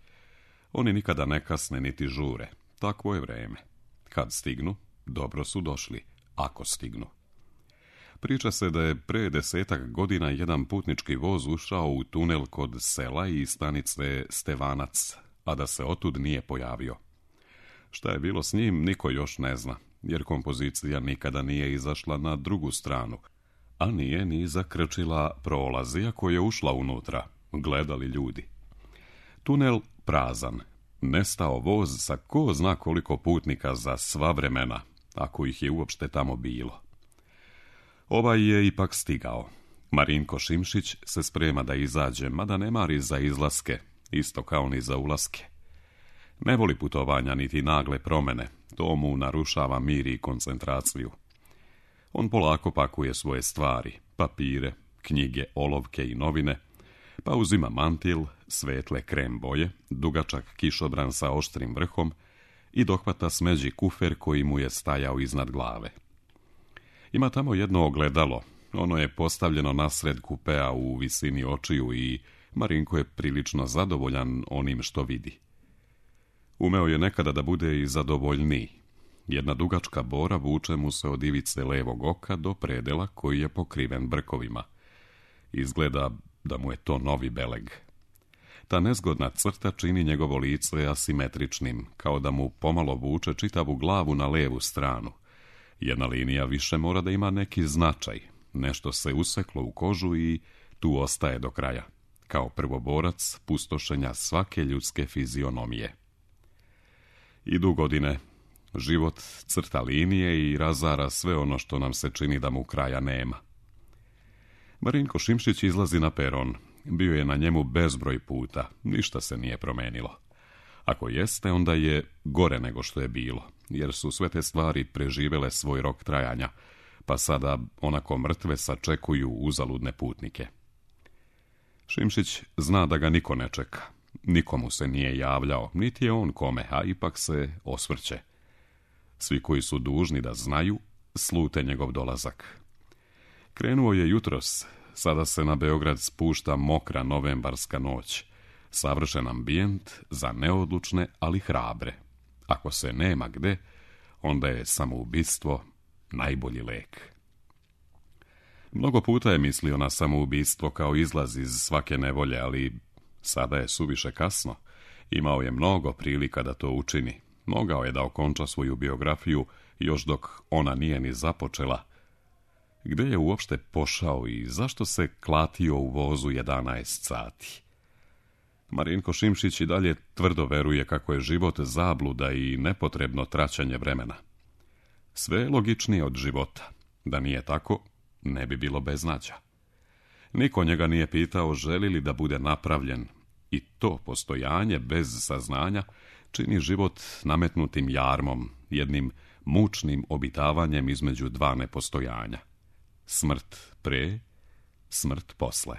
Oni nikada ne kasne niti žure. Takvo je vreme. Kad stignu, dobro su došli, ako stignu. Priča se da je pre 10 godina jedan putnički voz ušao u tunel kod sela i stanice Stevanac, a da se otud nije pojavio. Šta je bilo s njim, niko još ne zna, jer kompozicija nikada nije izašla na drugu stranu, a nije ni zakrčila prolaz, iako je ušla unutra, gledali ljudi. Tunel prazan, nestao voz sa ko zna koliko putnika za sva vremena, ako ih je uopšte tamo bilo. Ovaj je ipak stigao. Marinko Šimšić se sprema da izađe, mada ne mari za izlaske, isto kao ni za ulaske. Ne voli putovanja niti nagle promjene, to mu narušava mir i koncentraciju. On polako pakuje svoje stvari, papire, knjige, olovke i novine, pa uzima mantil, svetle krem boje, dugačak kišobran sa oštrim vrhom i dohvata smeđi kufer koji mu je stajao iznad glave. Ima tamo jedno ogledalo, ono je postavljeno nasred kupea u visini očiju i Marinko je prilično zadovoljan onim što vidi. Umeo je nekada da bude i zadovoljniji. Jedna dugačka bora vuče mu se od ivice levog oka do predela koji je pokriven brkovima. Izgleda da mu je to novi beleg. Ta nezgodna crta čini njegovo lice asimetričnim, kao da mu pomalo vuče čitavu glavu na levu stranu. Jedna linija više mora da ima neki značaj, nešto se useklo u kožu i tu ostaje do kraja, kao prvoborac pustošenja svake ljudske fizionomije. Idu godine, život crta linije i razara sve ono što nam se čini da mu kraja nema. Marinko Šimšić izlazi na peron, bio je na njemu bezbroj puta, ništa se nije promenilo. Ako jeste, onda je gore nego što je bilo, jer su sve te stvari preživele svoj rok trajanja, pa sada onako mrtve sačekuju uzaludne putnike. Šimšić zna da ga niko ne čeka, nikomu se nije javljao, niti je on kome, a ipak se osvrće. Svi koji su dužni da znaju, slute njegov dolazak. Krenuo je jutros, sada se na Beograd spušta mokra novembarska noć. Savršen ambijent za neodlučne, ali hrabre. Ako se nema gde, onda je samoubistvo najbolji lek. Mnogo puta je mislio na samoubistvo kao izlaz iz svake nevolje, ali sada je suviše kasno. Imao je mnogo prilika da to učini. Mogao je da okonča svoju biografiju još dok ona nije ni započela. Gde je uopšte pošao i zašto se klatio u vozu 11 sati? Marinko Šimšić i dalje tvrdo veruje kako je život zabluda i nepotrebno traćanje vremena. Sve je logičnije od života. Da nije tako, ne bi bilo beznađa. Niko njega nije pitao želi li da bude napravljen i to postojanje bez saznanja čini život nametnutim jarmom, jednim mučnim obitavanjem između dva nepostojanja. Smrt pre, smrt posle.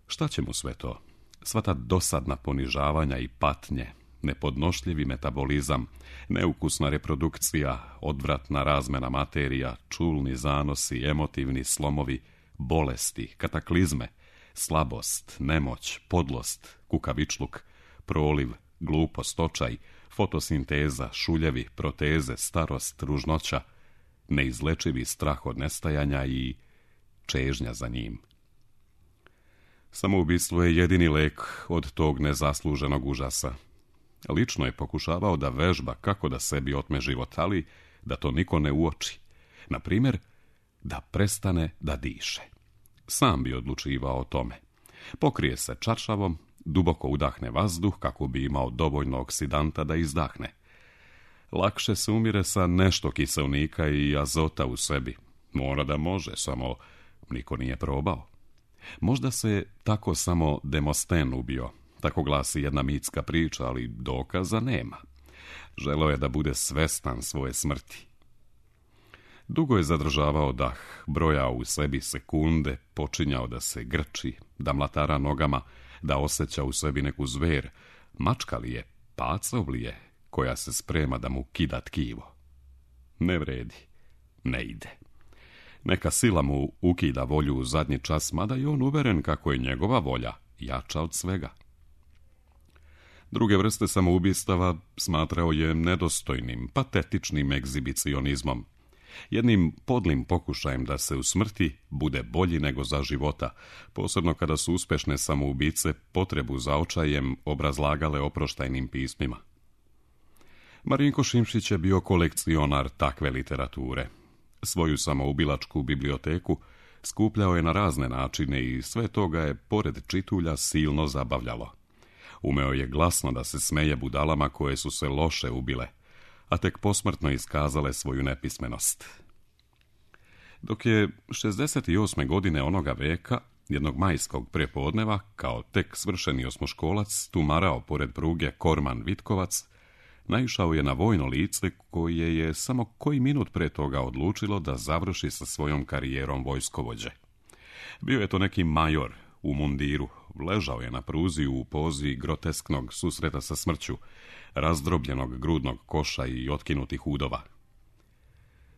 Šta će mu sve to? Sva ta dosadna ponižavanja i patnje, nepodnošljivi metabolizam, neukusna reprodukcija, odvratna razmena materija, čulni zanosi, emotivni slomovi, bolesti, kataklizme, slabost, nemoć, podlost, kukavičluk, proliv, glupost, očaj, fotosinteza, šuljevi, proteze, starost, ružnoća, neizlečivi strah od nestajanja i čežnja za njim. Samoubistvo je jedini lek od tog nezasluženog užasa. Lično je pokušavao da vežba kako da sebi otme život, ali da to niko ne uoči. Na primjer, da prestane da diše. Sam bi odlučivao o tome. Pokrije se čaršavom, duboko udahne vazduh kako bi imao dovoljno oksidanta da izdahne. Lakše se umire sa nešto kiselnika i azota u sebi. Mora da može, samo niko nije probao. Možda se tako samo Demosten ubio, tako glasi jedna mitska priča, ali dokaza nema. Želeo je da bude svestan svoje smrti. Dugo je zadržavao dah, brojao u sebi sekunde, počinjao da se grči, da mlatara nogama, da osjeća u sebi neku zver, mačka li je, pacov li je, koja se sprema da mu kida tkivo. Ne vredi, ne ide. Neka sila mu ukida volju u zadnji čas, mada je on uveren kako je njegova volja jača od svega. Druge vrste samoubistava smatrao je nedostojnim, patetičnim egzibicionizmom, jednim podlim pokušajem da se u smrti bude bolji nego za života, posebno kada su uspešne samoubice potrebu za očajem obrazlagale oproštajnim pismima. Marinko Šimšić je bio kolekcionar takve literature. Svoju samoubilačku biblioteku skupljao je na razne načine i sve to ga je, pored čitulja, silno zabavljalo. Umeo je glasno da se smeje budalama koje su se loše ubile, a tek posmrtno iskazale svoju nepismenost. Dok je 68. godine onoga veka, jednog majskog prepodneva, kao tek svršeni osmoškolac, tumarao pored pruge Korman Vitkovac, naišao je na vojno lice koje je samo koji minut pre toga odlučilo da završi sa svojom karijerom vojskovođe. Bio je to neki major u mundiru, ležao je na pruzi u pozi grotesknog susreta sa smrću, razdrobljenog grudnog koša i otkinutih udova.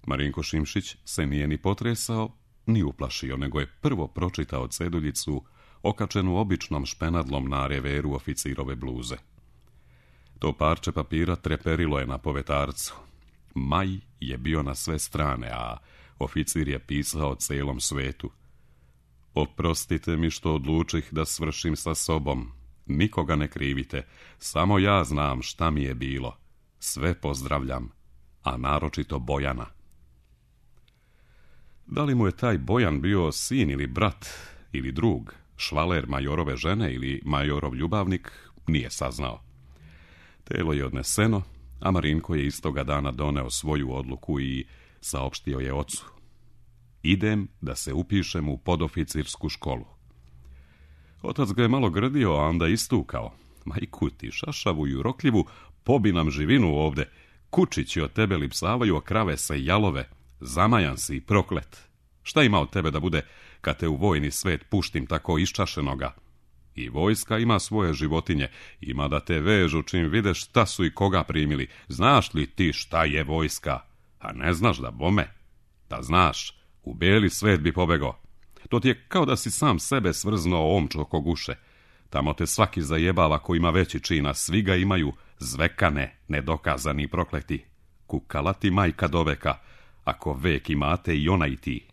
Marinko Šimšić se nije ni potresao, ni uplašio, nego je prvo pročitao ceduljicu okačenu običnom špenadlom na reveru oficirove bluze. To parče papira treperilo je na povetarcu. Maj je bio na sve strane, a oficir je pisao celom svetu. Oprostite mi što odlučih da svršim sa sobom. Nikoga ne krivite, samo ja znam šta mi je bilo. Sve pozdravljam, a naročito Bojana. Da li mu je taj Bojan bio sin ili brat ili drug, švaler majorove žene ili majorov ljubavnik, nije saznao. Telo je odneseno, a Marinko je istoga dana doneo svoju odluku i saopštio je ocu. Idem da se upišem u podoficirsku školu. Otac ga je malo grdio, a onda istukao. Majku ti, šašavu i urokljivu, pobi nam živinu ovde. Kučići od tebe lipsavaju, a krave se jalove. Zamajan si i proklet. Šta ima od tebe da bude kad te u vojni svet puštim tako iščašenoga? I vojska ima svoje životinje, ima da te vežu čim videš šta su i koga primili. Znaš li ti šta je vojska? A ne znaš da bome? Da znaš, u bijeli svet bi pobegao. To ti je kao da si sam sebe svrznuo omču oko guše. Tamo te svaki zajebava ko ima veći čin, a svi ga imaju zvekane, nedokazani prokleti. Kukala ti majka do veka, ako vek imate i ona i ti.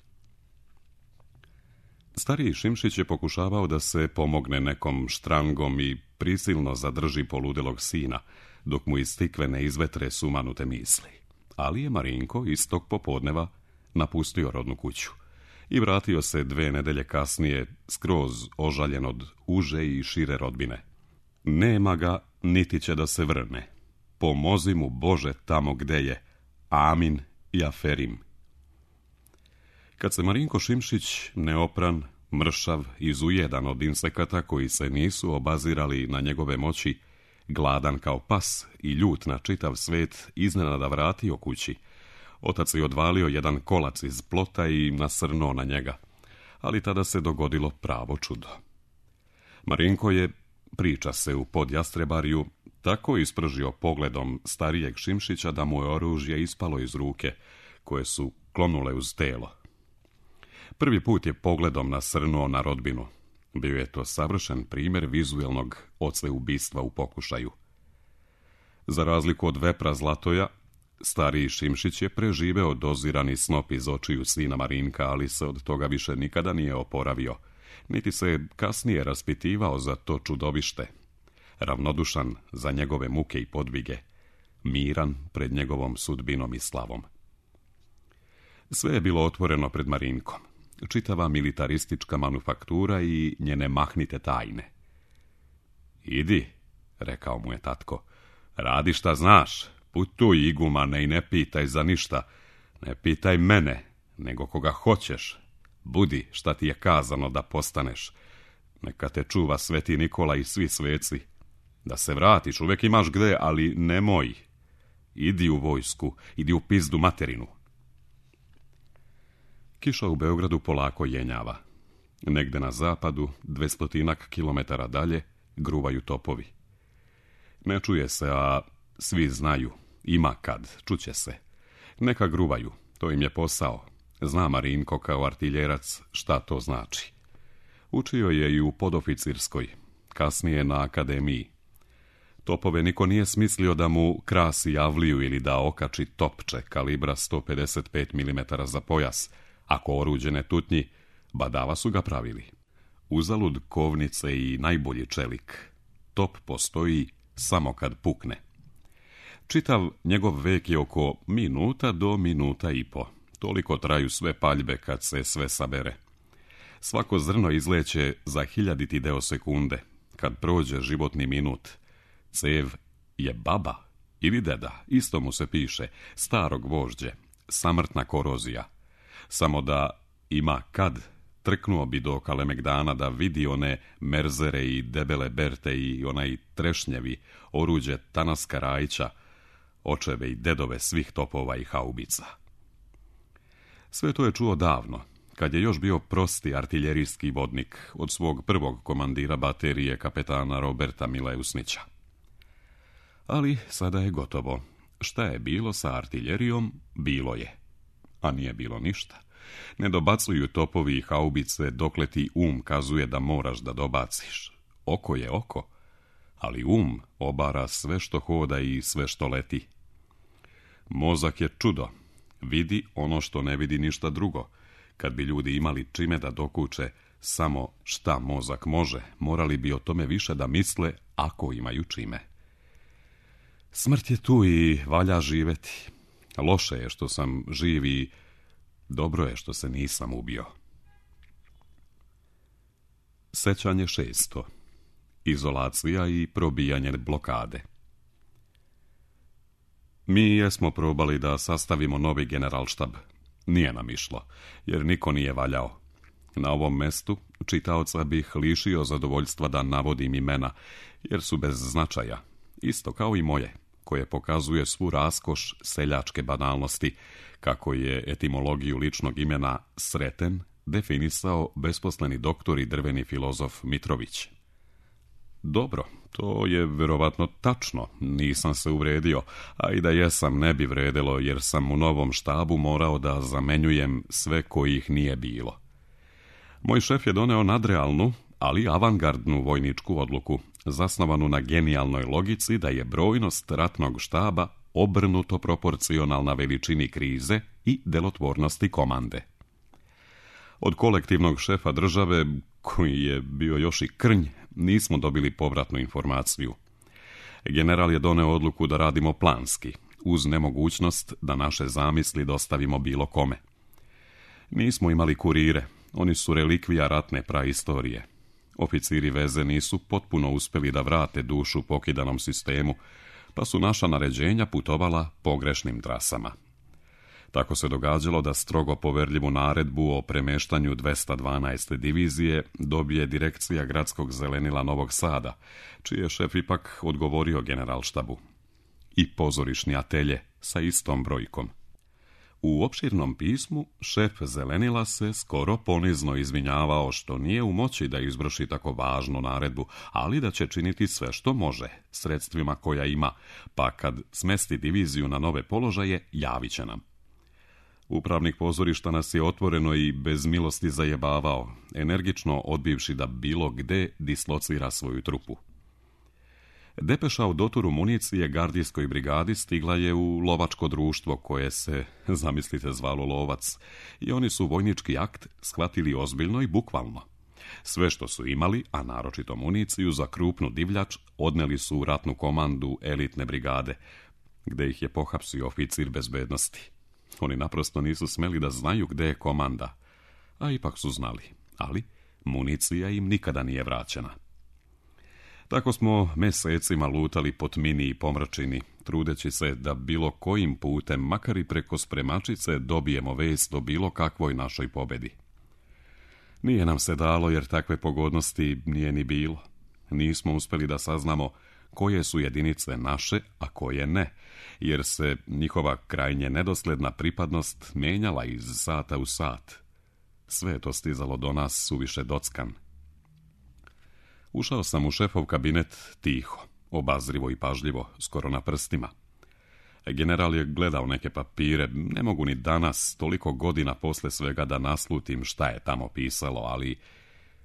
Stariji Šimšić je pokušavao da se pomogne nekom štrangom i prisilno zadrži poludelog sina, dok mu iz tikve ne izvetre sumanute misli. Ali je Marinko istog popodneva napustio rodnu kuću i vratio se 2 nedelje kasnije skroz ožaljen od uže i šire rodbine. Nema ga, niti će da se vrne. Pomozi mu Bože tamo gde je. Amin i aferim. Kad se Marinko Šimšić, neopran, mršav, izujedan od insekata koji se nisu obazirali na njegove moći, gladan kao pas i ljut na čitav svet, iznenada vratio kući, otac je odvalio jedan kolac iz plota i nasrnuo na njega, ali tada se dogodilo pravo čudo. Marinko je, priča se u Podjastrebarju, tako ispržio pogledom starijeg Šimšića da mu je oružje ispalo iz ruke, koje su klonule uz telo. Prvi put je pogledom nasrnuo na rodbinu. Bio je to savršen primjer vizuelnog oceubistva u pokušaju. Za razliku od vepra Zlatoja, stariji Šimšić je preživeo dozirani snop iz očiju sina Marinka, ali se od toga više nikada nije oporavio, niti se kasnije raspitivao za to čudovište. Ravnodušan za njegove muke i podvige, miran pred njegovom sudbinom i slavom. Sve je bilo otvoreno pred Marinkom, čitava militaristička manufaktura i njene mahnite tajne. Idi, rekao mu je tatko, radi šta znaš, putuj igumane i ne pitaj za ništa, ne pitaj mene, nego koga hoćeš, budi šta ti je kazano da postaneš, neka te čuva Sveti Nikola i svi sveci, da se vratiš, uvek imaš gde, ali nemoj, idi u vojsku, idi u pizdu materinu. Kiša u Beogradu polako jenjava. Negde na zapadu, 200 kilometara dalje, gruvaju topovi. Ne čuje se, a svi znaju, ima kad, čuće se. Neka gruvaju, to im je posao. Zna Marinko kao artiljerac šta to znači. Učio je i u podoficirskoj, kasnije na akademiji. Topove niko nije smislio da mu krasi javliju ili da okači topče kalibra 155 mm za pojas. Ako oruđe ne tutnji, badava su ga pravili. Uzalud kovnice i najbolji čelik. Top postoji samo kad pukne. Čitav njegov vek je oko minuta do minuta i po. Toliko traju sve paljbe kad se sve sabere. Svako zrno izleće za 1000 deo sekunde. Kad prođe životni minut, cev je baba ili deda, isto mu se piše, starog vožđe, samrtna korozija. Samo da ima kad, trknuo bi do Kalemegdana da vidi one merzere i debele berte i onaj trešnjevi, oruđe Tanaska Rajića, očeve i dedove svih topova i haubica. Sve to je čuo davno, kad je još bio prosti artiljerijski vodnik od svog prvog komandira baterije kapetana Roberta Mileusnića. Ali sada je gotovo. Šta je bilo sa artiljerijom, bilo je. A nije bilo ništa. Ne dobacuju topovi i haubice dokle ti kazuje da moraš da dobaciš. Oko je oko, ali obara sve što hoda i sve što leti. Mozak je čudo. Vidi ono što ne vidi ništa drugo. Kad bi ljudi imali čime da dokuče samo šta mozak može, morali bi o tome više da misle ako imaju čime. Smrt je tu i valja živeti. Loše je što sam živ i dobro je što se nisam ubio. Sećanje 6. Izolacija i probijanje blokade. Mi jesmo probali da sastavimo novi generalštab. Nije nam išlo, jer niko nije valjao. Na ovom mestu čitaoca bih lišio zadovoljstva da navodim imena, jer su bez značaja, isto kao i moje, koje pokazuje svu raskoš seljačke banalnosti, kako je etimologiju ličnog imena Sreten definisao besposleni doktor i drveni filozof Mitrović. Dobro, to je verovatno tačno, nisam se uvredio, a i da jesam ne bi vredelo jer sam u novom štabu morao da zamenjujem sve kojih nije bilo. Moj šef je doneo nadrealnu, ali avangardnu vojničku odluku, zasnovanu na genijalnoj logici da je brojnost ratnog štaba obrnuto proporcionalna veličini krize i delotvornosti komande. Od kolektivnog šefa države, koji je bio još i krnj, nismo dobili povratnu informaciju. General je doneo odluku da radimo planski, uz nemogućnost da naše zamisli dostavimo bilo kome. Nismo imali kurire, oni su relikvija ratne praistorije. Oficiri veze nisu potpuno uspjeli da vrate dušu pokidanom sistemu, pa su naša naređenja putovala pogrešnim trasama. Tako se događalo da strogo poverljivu naredbu o premeštanju 212. divizije dobije direkcija gradskog zelenila Novog Sada, čiji je šef ipak odgovorio generalštabu. I pozorišni atelje sa istom brojkom. U opširnom pismu šef zelenila se skoro ponizno izvinjavao što nije u moći da izvrši tako važnu naredbu, ali da će činiti sve što može, sredstvima koja ima, pa kad smesti diviziju na nove položaje, javit će nam. Upravnik pozorišta nas je otvoreno i bez milosti zajebavao, energično odbivši da bilo gde dislocira svoju trupu. Depeša o dotoru municije gardijskoj brigadi stigla je u lovačko društvo koje se, zamislite, zvalo Lovac, i oni su vojnički akt shvatili ozbiljno i bukvalno. Sve što su imali, a naročito municiju za krupnu divljač, odneli su u ratnu komandu elitne brigade, gde ih je pohapsio oficir bezbednosti. Oni naprosto nisu smeli da znaju gde je komanda, a ipak su znali, ali municija im nikada nije vraćena. Tako smo mesecima lutali po tmini i pomračini, trudeći se da bilo kojim putem, makar i preko spremačice, dobijemo vest o bilo kakvoj našoj pobedi. Nije nam se dalo jer takve pogodnosti nije ni bilo. Nismo uspjeli da saznamo koje su jedinice naše, a koje ne, jer se njihova krajnje nedosledna pripadnost menjala iz sata u sat. Sve je to stizalo do nas suviše dockan. Ušao sam u šefov kabinet tiho, obazrivo i pažljivo, skoro na prstima. General je gledao neke papire, ne mogu ni danas, toliko godina posle svega da naslutim šta je tamo pisalo, ali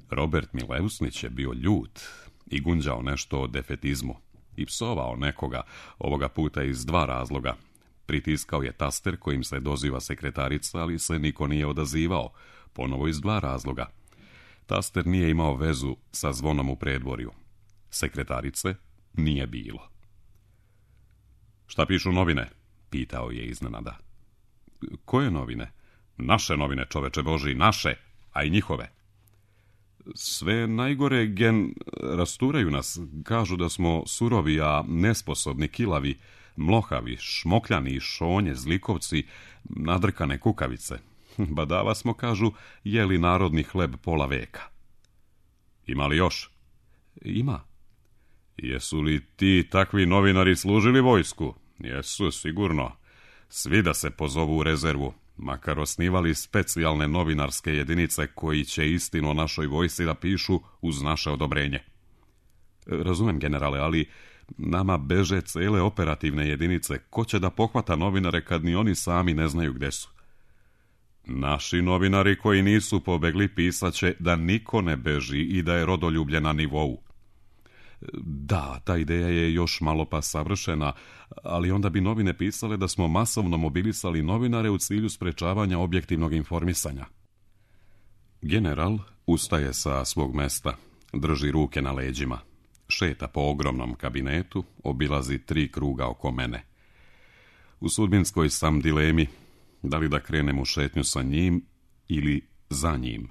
Robert Mileusnić je bio ljut i gunđao nešto o defetizmu i psovao nekoga, ovoga puta iz 2 razloga. Pritiskao je taster kojim se doziva sekretarica, ali se niko nije odazivao, ponovo iz 2 razloga. Taster nije imao vezu sa zvonom u predvorju. Sekretarice nije bilo. Šta pišu novine? Pitao je iznenada. Koje novine? Naše novine, čoveče Boži, naše, a i njihove. Sve najgore rasturaju nas, kažu da smo surovi, a nesposobni, kilavi, mlohavi, šmokljani, šonje, zlikovci, nadrkane kukavice. Badava smo, kažu, jeli narodni hleb pola veka. Ima li još? Ima. Jesu li ti takvi novinari služili vojsku? Jesu, sigurno. Svi da se pozovu u rezervu, makar osnivali specijalne novinarske jedinice koji će istinu o našoj vojsci da pišu uz naše odobrenje. Razumem, generale, ali nama beže cele operativne jedinice. Ko će da pohvata novinare kad ni oni sami ne znaju gde su? Naši novinari koji nisu pobegli pisaće da niko ne beži i da je rodoljublje na nivou. Da, ta ideja je još malo pa savršena, ali onda bi novine pisale da smo masovno mobilisali novinare u cilju sprečavanja objektivnog informisanja. General ustaje sa svog mesta, drži ruke na leđima, šeta po ogromnom kabinetu, obilazi 3 kruga oko mene. U sudbinskoj sam dilemi, da li da krenem u šetnju sa njim ili za njim.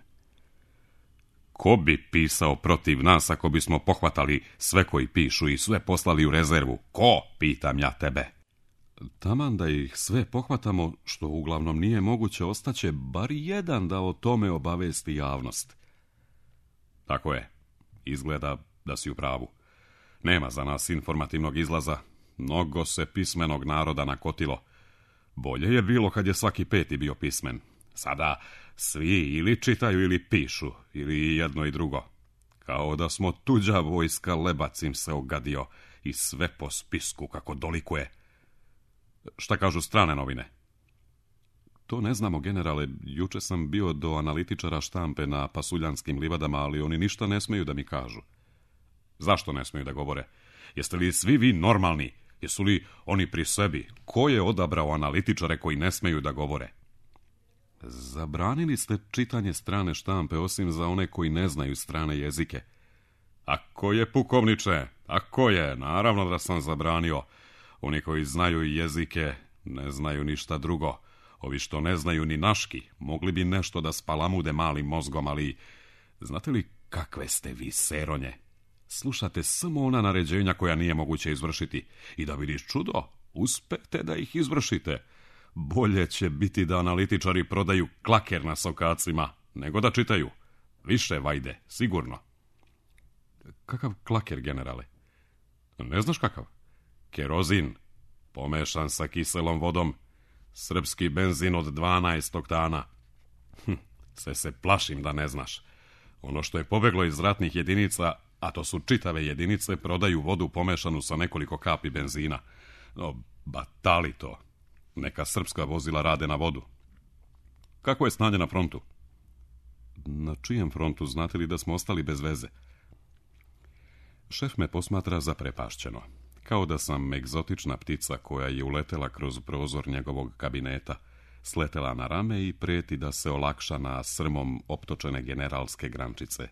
Ko bi pisao protiv nas ako bismo pohvatali sve koji pišu i sve poslali u rezervu? Ko, pitam ja tebe? Taman da ih sve pohvatamo, što uglavnom nije moguće, ostaće bar jedan da o tome obavesti javnost. Tako je, izgleda da si u pravu. Nema za nas informativnog izlaza, mnogo se pismenog naroda nakotilo. Bolje je bilo kad je svaki 5. bio pismen. Sada svi ili čitaju ili pišu, ili jedno i drugo. Kao da smo tuđa vojska, lebac im se ogadio i sve po spisku kako dolikuje. Šta kažu strane novine? To ne znamo, generale. Juče sam bio do analitičara štampe na Pasuljanskim livadama, ali oni ništa ne smeju da mi kažu. Zašto ne smeju da govore? Jeste li svi vi normalni? Jesu li oni pri sebi? Ko je odabrao analitičare koji ne smeju da govore? Zabranili ste čitanje strane štampe, osim za one koji ne znaju strane jezike. Ako je, pukovniče, ako je, naravno da sam zabranio. Oni koji znaju jezike ne znaju ništa drugo. Ovi što ne znaju ni naški, mogli bi nešto da spalamude malim mozgom, ali znate li kakve ste vi seronje? Slušate samo ona naređenja koja nije moguće izvršiti i da vidiš čudo, uspete da ih izvršite. Bolje će biti da analitičari prodaju klaker na sokacima, nego da čitaju. Više vajde, sigurno. Kakav klaker, generale? Ne znaš kakav? Kerozin, pomešan sa kiselom vodom. Srpski benzin od 12 oktana. Sve se plašim da ne znaš. Ono što je pobeglo iz ratnih jedinica, a to su čitave jedinice, prodaju vodu pomešanu sa nekoliko kapi benzina. No, batali to. Neka srpska vozila rade na vodu. Kako je stanje na frontu? Na čijem frontu? Znate li da smo ostali bez veze? Šef me posmatra zaprepašćeno, kao da sam egzotična ptica koja je uletela kroz prozor njegovog kabineta, sletela na rame i preti da se olakša na srmom optočene generalske grančice.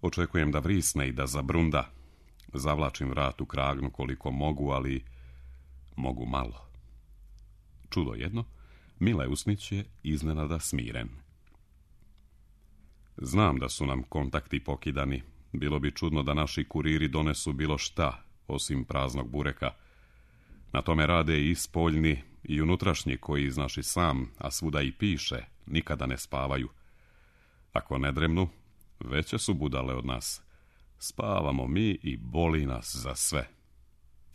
Očekujem da vrisne i da zabrunda. Zavlačim vrat u kragnu koliko mogu, ali mogu malo. Čudo jedno, Mileusnić je iznenada smiren. Znam da su nam kontakti pokidani. Bilo bi čudno da naši kuriri donesu bilo šta, osim praznog bureka. Na tome rade i spoljni i unutrašnji koji, znaš i sam, a svuda i piše, nikada ne spavaju. Ako ne dremnu, veće su budale od nas. Spavamo mi i boli nas za sve.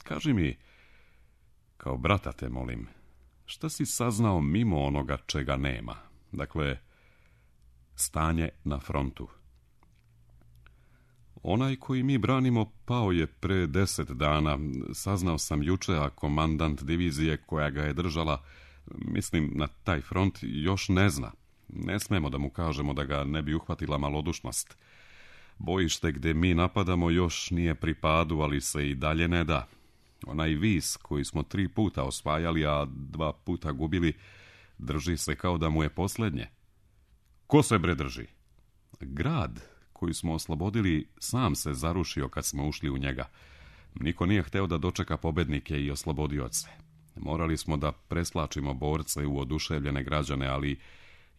Kaži mi, kao brata te molim, šta si saznao mimo onoga čega nema? Dakle, stanje na frontu. Onaj koji mi branimo pao je pre 10 dana. Saznao sam juče, a komandant divizije koja ga je držala, mislim na taj front, još ne zna. Ne smemo da mu kažemo da ga ne bi uhvatila malodušnost. Bojište gdje mi napadamo još nije pri padu, ali se i dalje ne da. Onaj vis koji smo 3 puta osvajali, a 2 puta gubili, drži se kao da mu je posljednje. Ko se bre drži? Grad koji smo oslobodili sam se zarušio kad smo ušli u njega. Niko nije hteo da dočeka pobednike i oslobodioce. Morali smo da preslačimo borce u oduševljene građane, ali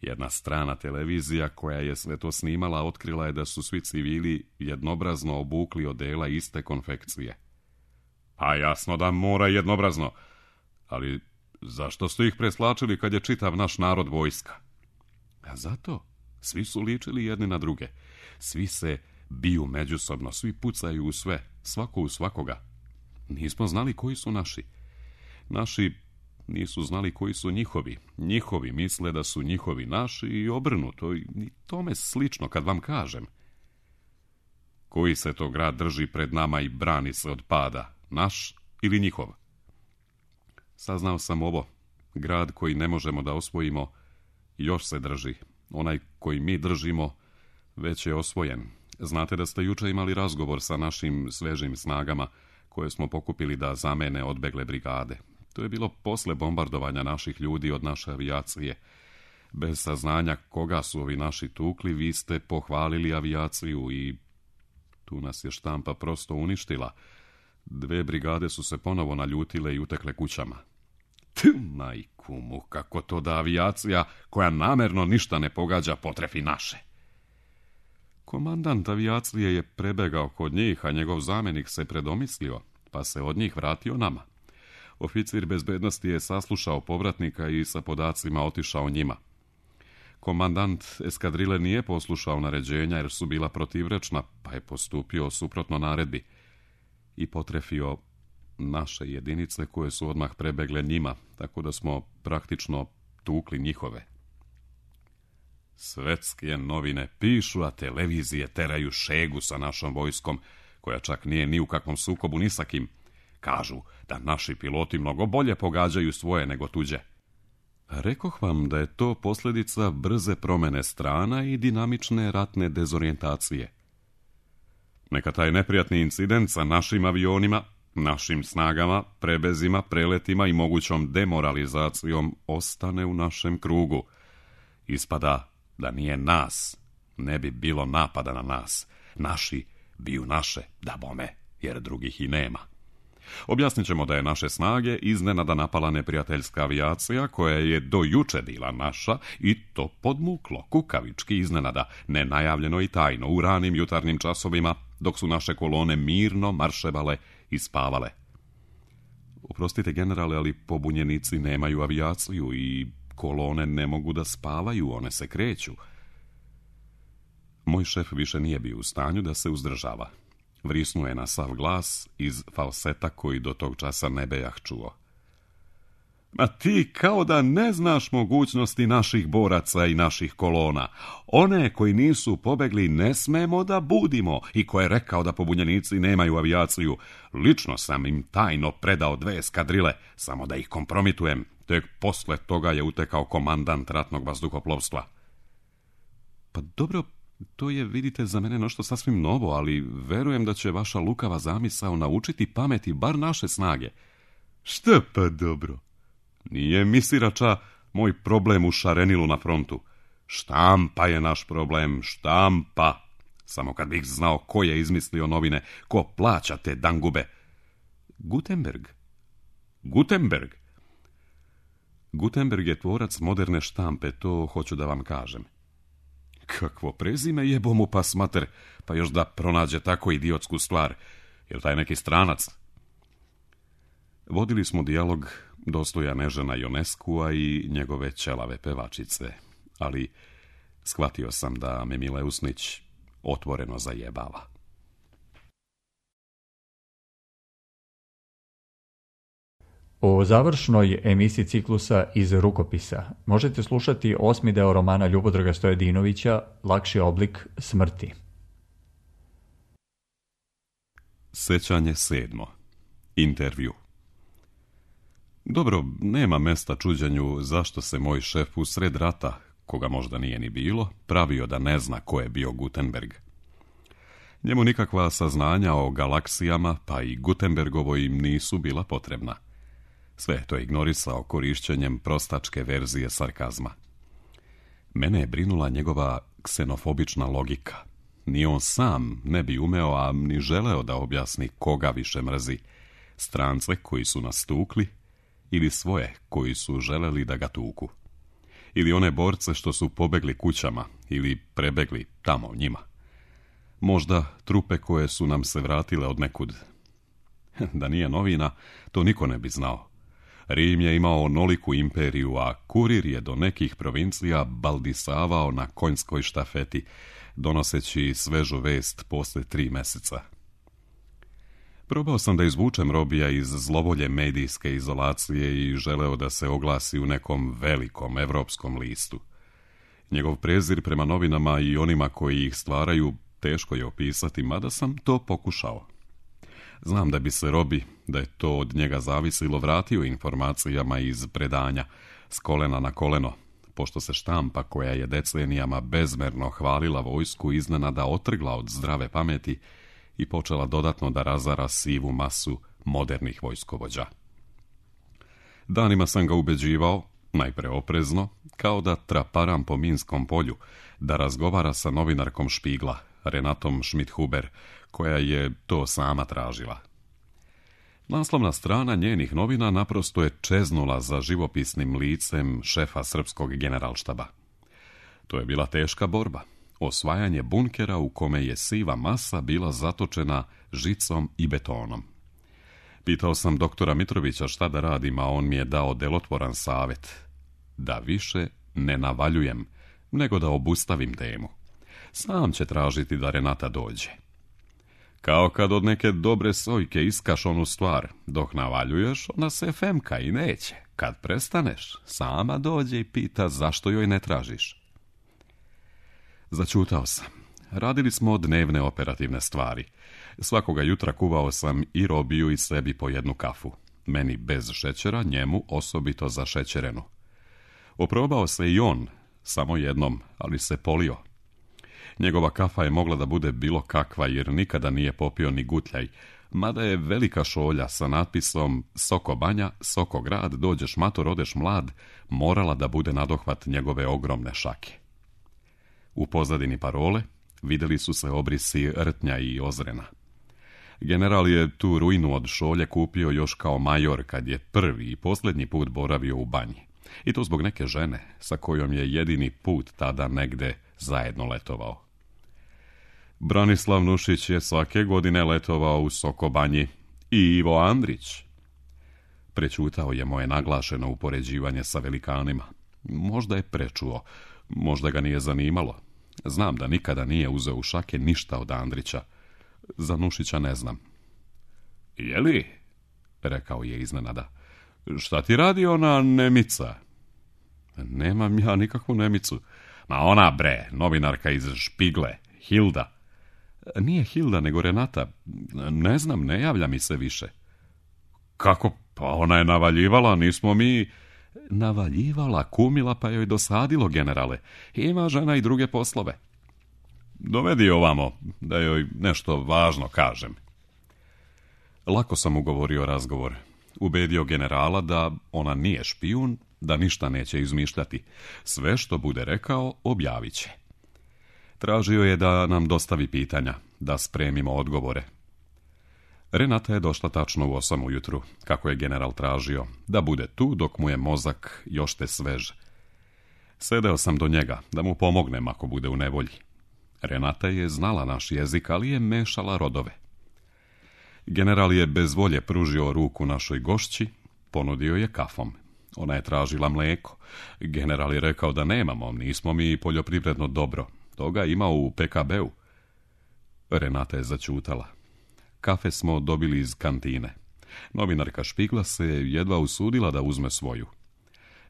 jedna strana televizija koja je sve to snimala otkrila je da su svi civili jednobrazno obukli odela iste konfekcije. Pa jasno da mora jednobrazno, ali zašto su ih preslačili kad je čitav naš narod vojska? A zato svi su ličili jedni na druge. Svi se biju međusobno, svi pucaju u sve, svako u svakoga. Nismo znali koji su naši. Naši nisu znali koji su njihovi. Njihovi misle da su njihovi naši i obrnuto. I tome slično kad vam kažem. Koji se to grad drži pred nama i brani se od pada? Naš ili njihov? Saznao sam ovo. Grad koji ne možemo da osvojimo još se drži. Onaj koji mi držimo već je osvojen. Znate da ste juče imali razgovor sa našim svežim snagama koje smo pokupili da zamene odbegle brigade. To je bilo posle bombardovanja naših ljudi od naše avijacije. Bez saznanja koga su ovi naši tukli, vi ste pohvalili avijaciju i tu nas je štampa prosto uništila. 2 brigade su se ponovo naljutile i utekle kućama. Majku mu, kako to da avijacija koja namerno ništa ne pogađa potrefi naše. Komandant avijacije je prebegao kod njih, a njegov zamjenik se predomislio, pa se od njih vratio nama. Oficir bezbednosti je saslušao povratnika i sa podacima otišao njima. Komandant eskadrile nije poslušao naređenja jer su bila protivrečna, pa je postupio suprotno naredbi i potrefio naše jedinice koje su odmah prebegle njima, tako da smo praktično tukli njihove. Svetske novine pišu, a televizije teraju šegu sa našom vojskom, koja čak nije ni u kakvom sukobu ni sa kim. Kažu da naši piloti mnogo bolje pogađaju svoje nego tuđe. Rekoh vam da je to posljedica brze promjene strana i dinamične ratne dezorijentacije. Neka taj neprijatni incident sa našim avionima, našim snagama, prebezima, preletima i mogućom demoralizacijom ostane u našem krugu. Ispada da nije nas, ne bi bilo napada na nas. Naši biju naše, da bome, jer drugih i nema. Objasnit ćemo da je naše snage iznenada napala neprijateljska avijacija koja je do juče bila naša i to podmuklo, kukavički iznenada, nenajavljeno i tajno u ranim jutarnjim časovima dok su naše kolone mirno marševale i spavale. Oprostite generale, ali pobunjenici nemaju avijaciju i kolone ne mogu da spavaju, one se kreću. Moj šef više nije bio u stanju da se uzdržava. Vrisnuo je na sav glas iz falseta koji do tog časa ne bejah čuo. Ma ti kao da ne znaš mogućnosti naših boraca i naših kolona. One koji nisu pobegli ne smemo da budimo i ko je rekao da pobunjenici nemaju avijaciju. Lično sam im tajno predao 2 eskadrile, samo da ih kompromitujem. Tek posle toga je utekao komandant ratnog vazduhoplovstva. Pa dobro, to je, vidite, za mene nešto sasvim novo, ali verujem da će vaša lukava zamisao naučiti pameti bar naše snage. Šta pa dobro? Nije misirača moj problem u šarenilu na frontu. Štampa je naš problem, štampa. Samo kad bih znao ko je izmislio novine, ko plaća te dangube. Gutenberg. Gutenberg je tvorac moderne štampe, to hoću da vam kažem. Kakvo prezime jebo mu pas mater, pa još da pronađe tako idiotsku stvar. Je taj neki stranac? Vodili smo dijalog dostojan Ežena Ioneskua i njegove ćelave pevačice, ali shvatio sam da me Mileusnić otvoreno zajebava. O završnoj emisiji ciklusa iz rukopisa možete slušati 8. deo romana Ljubodraga Stojadinovića Lakši oblik smrti. Sećanje 7. Intervju. Dobro, nema mesta čuđenju zašto se moj šef usred rata, koga možda nije ni bilo, pravio da ne zna ko je bio Gutenberg. Njemu nikakva saznanja o galaksijama, pa i Gutenbergovoj im nisu bila potrebna. Sve je to ignorisao korišćenjem prostačke verzije sarkazma. Mene je brinula njegova ksenofobična logika. Ni on sam ne bi umeo, a ni želeo da objasni koga više mrzi. Strance koji su nas tukli ili svoje koji su želeli da ga tuku. Ili one borce što su pobegli kućama ili prebegli tamo njima. Možda trupe koje su nam se vratile od nekud. Da nije novina, to niko ne bi znao. Rim je imao onoliku imperiju, a kurir je do nekih provincija baldisavao na konjskoj štafeti, donoseći svežu vest posle 3 meseca. Probao sam da izvučem Robija iz zlovolje medijske izolacije i želeo da se oglasi u nekom velikom evropskom listu. Njegov prezir prema novinama i onima koji ih stvaraju teško je opisati, mada sam to pokušao. Znam da bi se Robi, da je to od njega zavisilo, vratio informacijama iz predanja, s kolena na koleno, pošto se štampa koja je decenijama bezmerno hvalila vojsku iznenada otrgla od zdrave pameti i počela dodatno da razara sivu masu modernih vojskovođa. Danima sam ga ubeđivao, najpre oprezno, kao da traparam po minskom polju, da razgovara sa novinarkom Špigla, Renatom Schmidt-Huber, koja je to sama tražila. Naslovna strana njenih novina naprosto je čeznula za živopisnim licem šefa srpskog generalštaba. To je bila teška borba, osvajanje bunkera u kome je siva masa bila zatočena žicom i betonom. Pitao sam doktora Mitrovića šta da radim, a on mi je dao delotvoran savjet. Da više ne navaljujem, nego da obustavim temu. Sam će tražiti da Renata dođe. Kao kad od neke dobre sojke iskaš onu stvar, dok navaljuješ, ona se femka i neće. Kad prestaneš, sama dođe i pita zašto joj ne tražiš. Začutao sam. Radili smo dnevne operativne stvari. Svakoga jutra kuvao sam i Robiju i sebi po jednu kafu. Meni bez šećera, njemu osobito zašećerenu. Oprobao se i on, samo jednom, ali se polio. Njegova kafa je mogla da bude bilo kakva, jer nikada nije popio ni gutljaj, mada je velika šolja sa natpisom Soko banja, Soko grad, dođeš mator, odeš mlad, morala da bude nadohvat njegove ogromne šake. U pozadini parole videli su se obrisi Rtnja i Ozrena. General je tu ruinu od šolje kupio još kao major kad je prvi i posljednji put boravio u banji. I to zbog neke žene sa kojom je jedini put tada negde zajedno letovao. Branislav Nušić je svake godine letovao u Sokobanji i Ivo Andrić. Prećutao je moje naglašeno upoređivanje sa velikanima. Možda je prečuo, možda ga nije zanimalo. Znam da nikada nije uzeo u šake ništa od Andrića. Za Nušića ne znam. Jeli? Rekao je iznenada. Šta ti radi ona Nemica? Nemam ja nikakvu Nemicu. Ma ona bre, novinarka iz Špigle, Hilda. Nije Hilda, nego Renata. Ne znam, ne javlja mi se više. Kako? Pa ona je navaljivala, nismo mi... Navaljivala, kumila, pa joj dosadilo, generale. Ima žena i druge poslove. Dovedi ovamo, da joj nešto važno kažem. Lako sam ugovorio razgovor. Ubedio generala da ona nije špijun, da ništa neće izmišljati. Sve što bude rekao, objavit će. Tražio je da nam dostavi pitanja, da spremimo odgovore. Renata je došla tačno u 8 ujutru, kako je general tražio, da bude tu dok mu je mozak još te svež. Sedeo sam do njega, da mu pomognem ako bude u nevolji. Renata je znala naš jezik, ali je mešala rodove. General je bez volje pružio ruku našoj gošći, ponudio je kafom. Ona je tražila mlijeko. General je rekao da nemamo, nismo mi poljoprivredno dobro. Toga ima u PKB-u. Renata je začutala. Kafe smo dobili iz kantine. Novinarka Špigla se jedva usudila da uzme svoju.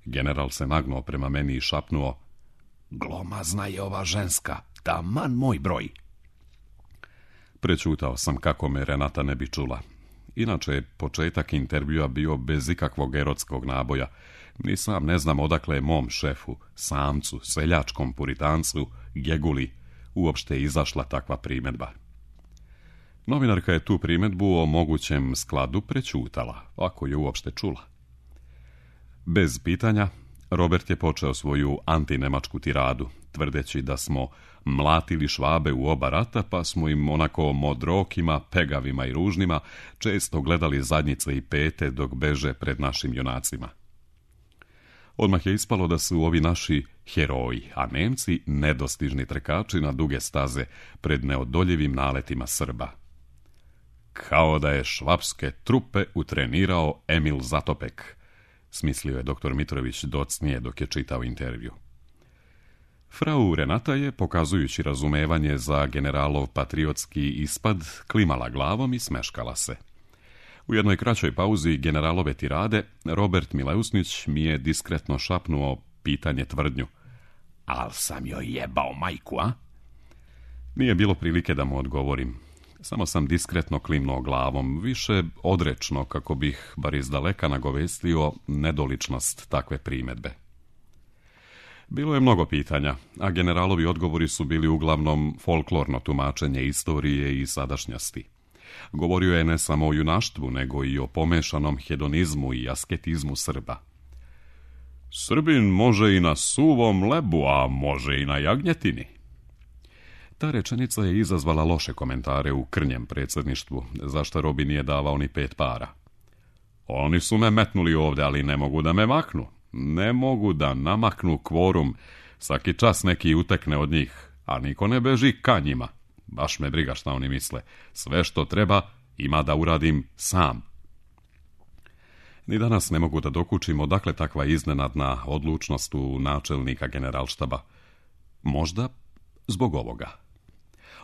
General se nagnuo prema meni i šapnuo: glomazna je ova ženska, taman moj broj. Prečutao sam kako me Renata ne bi čula. Inače je početak intervjua bio bez ikakvog erotskog naboja. Ni sam ne znam odakle je mom šefu, samcu, seljačkom puritancu, Geguli, uopšte izašla takva primjedba. Novinarka je tu primjedbu o mogućem skladu prečutala, ako je uopšte čula. Bez pitanja, Robert je počeo svoju antinemačku tiradu, tvrdeći da smo mlatili Švabe u oba rata, pa smo im onako modrokima, pegavima i ružnima često gledali zadnjice i pete dok beže pred našim junacima. Odmah je ispalo da su ovi naši heroji, a Nemci nedostižni trkači na duge staze pred neodoljivim naletima Srba. Kao da je švapske trupe utrenirao Emil Zatopek, smislio je doktor Mitrović docnije dok je čitao intervju. Frau Renata je, pokazujući razumevanje za generalov patriotski ispad, klimala glavom i smeškala se. U jednoj kraćoj pauzi generalove tirade, Robert Mileusnić mi je diskretno šapnuo pitanje tvrdnju. Al sam joj jebao majku, a? Nije bilo prilike da mu odgovorim. Samo sam diskretno klimnuo glavom, više odrečno kako bih, bar izdaleka, nagovestio nedoličnost takve primjedbe. Bilo je mnogo pitanja, a generalovi odgovori su bili uglavnom folklorno tumačenje istorije i sadašnjosti. Govorio je ne samo o junaštvu, nego i o pomešanom hedonizmu i asketizmu Srba. Srbin može i na suvom lebu, a može i na jagnjetini. Ta rečenica je izazvala loše komentare u krnjem predsjedništvu, zašto Robi nije davao ni 5 para. Oni su me metnuli ovdje, ali ne mogu da me maknu. Ne mogu da namaknu kvorum, svaki čas neki utekne od njih, a niko ne beži ka njima. Baš me briga šta oni misle. Sve što treba ima da uradim sam. Ni danas ne mogu da dokučim odakle takva iznenadna odlučnost u načelnika generalštaba. Možda zbog ovoga.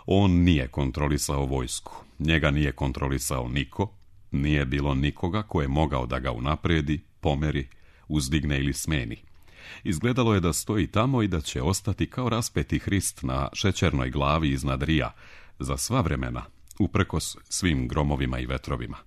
On nije kontrolisao vojsku. Njega nije kontrolisao niko. Nije bilo nikoga ko je mogao da ga unapredi, pomeri, uzdigne ili smeni. Izgledalo je da stoji tamo i da će ostati kao raspeti Hrist na šećernoj glavi iznad Rija, za sva vremena, uprkos svim gromovima i vetrovima.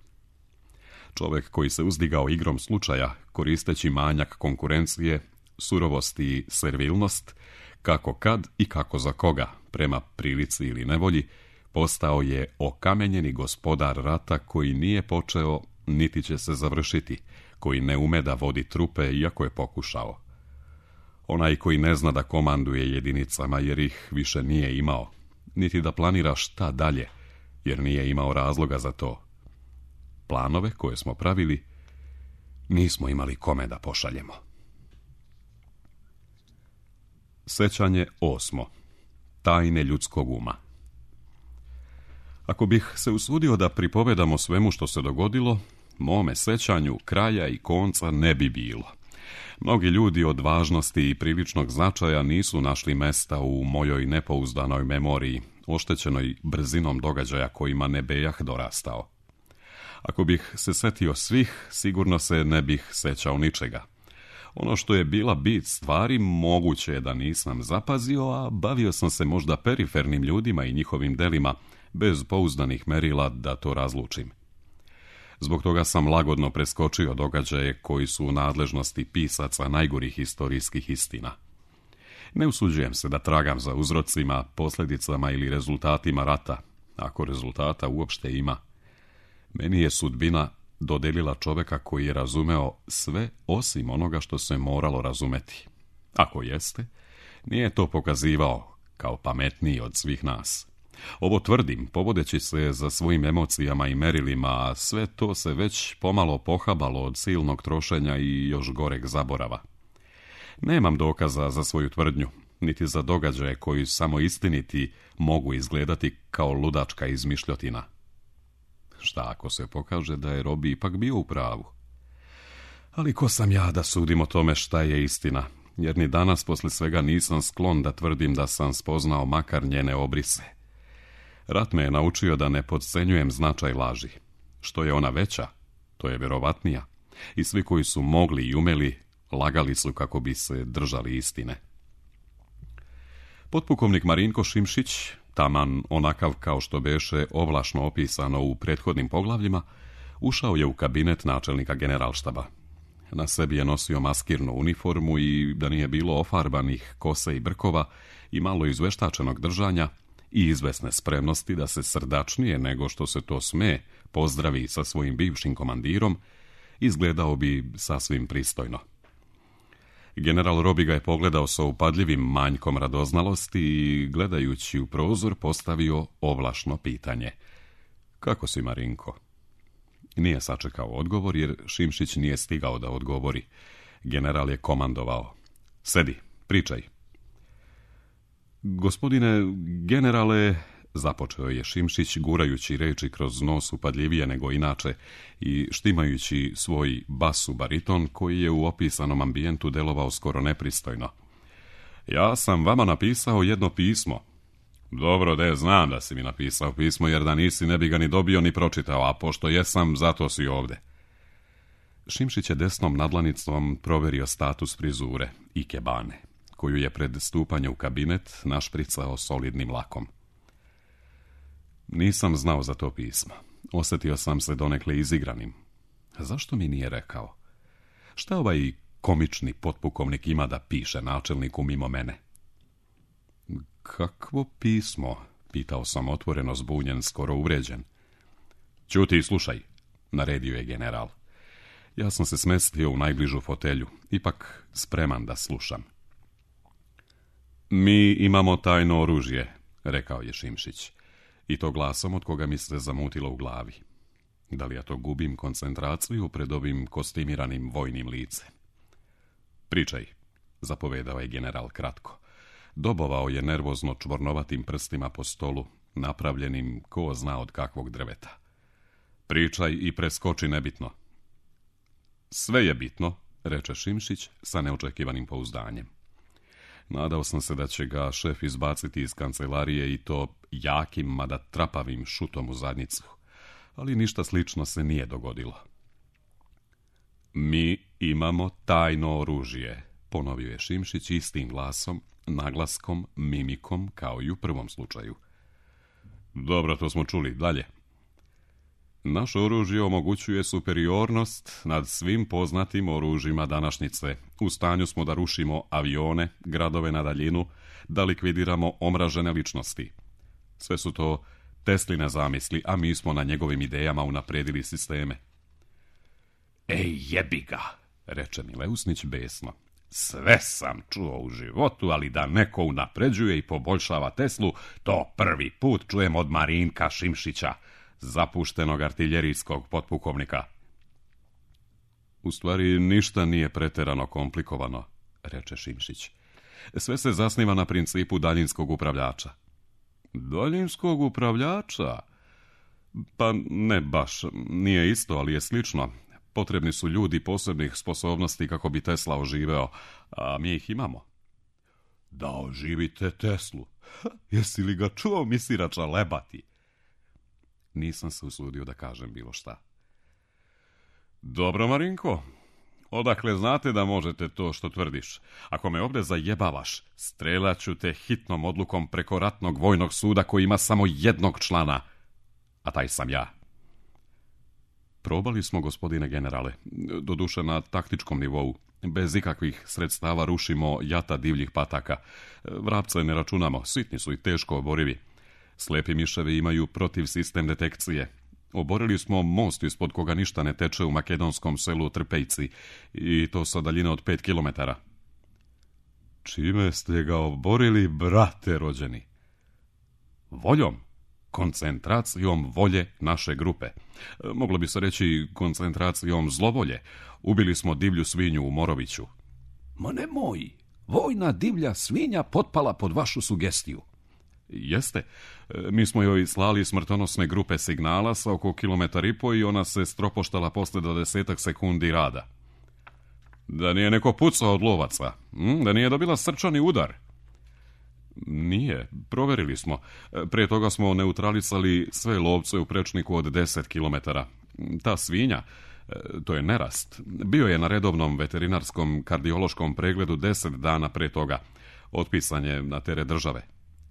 Čovjek koji se uzdigao igrom slučaja, koristeći manjak konkurencije, surovost i servilnost, kako kad i kako za koga, prema prilici ili nevolji, postao je okamenjeni gospodar rata koji nije počeo, niti će se završiti, koji ne ume da vodi trupe, iako je pokušao. Onaj koji ne zna da komanduje jedinicama, jer ih više nije imao, niti da planira šta dalje, jer nije imao razloga za to. Planove koje smo pravili, nismo imali kome da pošaljemo. Sećanje 8. Tajne ljudskog uma. Ako bih se usudio da pripovedam o svemu što se dogodilo, mome sećanju kraja i konca ne bi bilo. Mnogi ljudi od važnosti i priličnog značaja nisu našli mesta u mojoj nepouzdanoj memoriji, oštećenoj brzinom događaja kojima ne bejah dorastao. Ako bih se setio svih, sigurno se ne bih sećao ničega. Ono što je bila bit stvari, moguće je da nisam zapazio, a bavio sam se možda perifernim ljudima i njihovim delima, bez pouzdanih merila da to razlučim. Zbog toga sam lagodno preskočio događaje koji su u nadležnosti pisaca najgorih historijskih istina. Ne usuđujem se da tragam za uzrocima, posljedicama ili rezultatima rata, ako rezultata uopšte ima. Meni je sudbina dodelila čoveka koji je razumeo sve osim onoga što se moralo razumeti. Ako jeste, nije to pokazivao kao pametniji od svih nas. Ovo tvrdim, povodeći se za svojim emocijama i merilima, a sve to se već pomalo pohabalo od silnog trošenja i još goreg zaborava. Nemam dokaza za svoju tvrdnju, niti za događaje koji samo istiniti mogu izgledati kao ludačka izmišljotina. Šta ako se pokaže da je Robi ipak bio u pravu? Ali ko sam ja da sudim o tome šta je istina, jer ni danas posle svega nisam sklon da tvrdim da sam spoznao makar njene obrise. Rat me je naučio da ne podcenjujem značaj laži. Što je ona veća, to je vjerovatnija. I svi koji su mogli i umeli, lagali su kako bi se držali istine. Potpukovnik Marinko Šimšić, taman onakav kao što beše ovlašno opisano u prethodnim poglavljima, ušao je u kabinet načelnika generalštaba. Na sebi je nosio maskirnu uniformu i da nije bilo ofarbanih kose i brkova i malo izveštačenog držanja i izvesne spremnosti da se srdačnije nego što se to sme pozdravi sa svojim bivšim komandirom, izgledao bi sasvim pristojno. General Robi ga je pogledao sa upadljivim manjkom radoznalosti i, gledajući u prozor, postavio ovlašno pitanje. Kako si, Marinko? Nije sačekao odgovor, jer Šimšić nije stigao da odgovori. General je komandovao. Sedi, pričaj. Gospodine generale, započeo je Šimšić, gurajući reči kroz nos upadljivije nego inače i štimajući svoj basu bariton koji je u opisanom ambijentu delovao skoro nepristojno. Ja sam vama napisao jedno pismo. Dobro, znam da si mi napisao pismo, jer da nisi ne bi ga ni dobio ni pročitao, a pošto jesam, zato si ovde. Šimšić je desnom nadlanicom proverio status frizure i kebane, koju je pred stupanje u kabinet našpricao solidnim lakom. Nisam znao za to pismo. Osjetio sam se donekle izigranim. Zašto mi nije rekao? Šta ovaj komični potpukovnik ima da piše načelniku mimo mene? Kakvo pismo? Pitao sam otvoreno, zbunjen, skoro uvređen. Ćuti i slušaj, naredio je general. Ja sam se smestio u najbližu fotelju, ipak spreman da slušam. Mi imamo tajno oružje, rekao je Šimšić, i to glasom od koga mi se zamutilo u glavi. Da li ja to gubim koncentraciju pred ovim kostimiranim vojnim licem? Pričaj, zapovedao je general kratko. Dobovao je nervozno čvornovatim prstima po stolu, napravljenim ko zna od kakvog drveta. Pričaj i preskoči nebitno. Sve je bitno, reče Šimšić sa neočekivanim pouzdanjem. Nadao sam se da će ga šef izbaciti iz kancelarije i to jakim, mada trapavim šutom u zadnjicu, ali ništa slično se nije dogodilo. Mi imamo tajno oružje, ponovio je Šimšić istim glasom, naglaskom, mimikom, kao i u prvom slučaju. Dobro, to smo čuli. Dalje. Naše oružje omogućuje superiornost nad svim poznatim oružjima današnjice. U stanju smo da rušimo avione, gradove na daljinu, da likvidiramo omražene ličnosti. Sve su to Tesline zamisli, a mi smo na njegovim idejama unapredili sisteme. Ej, jebi ga, reče Mileusnić besno. Sve sam čuo u životu, ali da neko unapređuje i poboljšava Teslu, to prvi put čujem od Marinka Šimšića, zapuštenog artiljerijskog potpukovnika. U stvari, ništa nije preterano komplikovano, reče Šimšić. Sve se zasniva na principu daljinskog upravljača. Daljinskog upravljača? Pa ne baš, nije isto, ali je slično. Potrebni su ljudi posebnih sposobnosti kako bi Tesla oživeo, a mi ih imamo. Da oživite Teslu? Jesi li ga čuo misirača lebati? Nisam se usudio da kažem bilo šta. Dobro, Marinko, odakle znate da možete to što tvrdiš? Ako me ovdje zajebavaš, strelaću te hitnom odlukom preko ratnog vojnog suda koji ima samo jednog člana, a taj sam ja. Probali smo, gospodine generale, doduše na taktičkom nivou. Bez ikakvih sredstava rušimo jata divljih pataka. Vrapce ne računamo, sitni su i teško oborivi. Slepi miševi imaju protiv sistem detekcije. Oborili smo most ispod koga ništa ne teče u makedonskom selu Trpejci i to sa daljine od 5 kilometara. Čime ste ga oborili, brate rođeni? Voljom. Koncentracijom volje naše grupe. Moglo bi se reći koncentracijom zlovolje. Ubili smo divlju svinju u Moroviću. Ma nemoj, vojna divlja svinja potpala pod vašu sugestiju. Jeste, mi smo joj slali smrtonosne grupe signala sa oko 1,5 kilometra i ona se stropoštala posle 20 sekundi rada. Da nije neko pucao od lovaca, da nije dobila srčani udar. Nije, proverili smo. Prije toga smo neutralisali sve lovce u prečniku od 10 kilometara. Ta svinja, to je nerast, bio je na redovnom veterinarskom kardiološkom pregledu 10 dana prije toga. Otpisan je na teret države.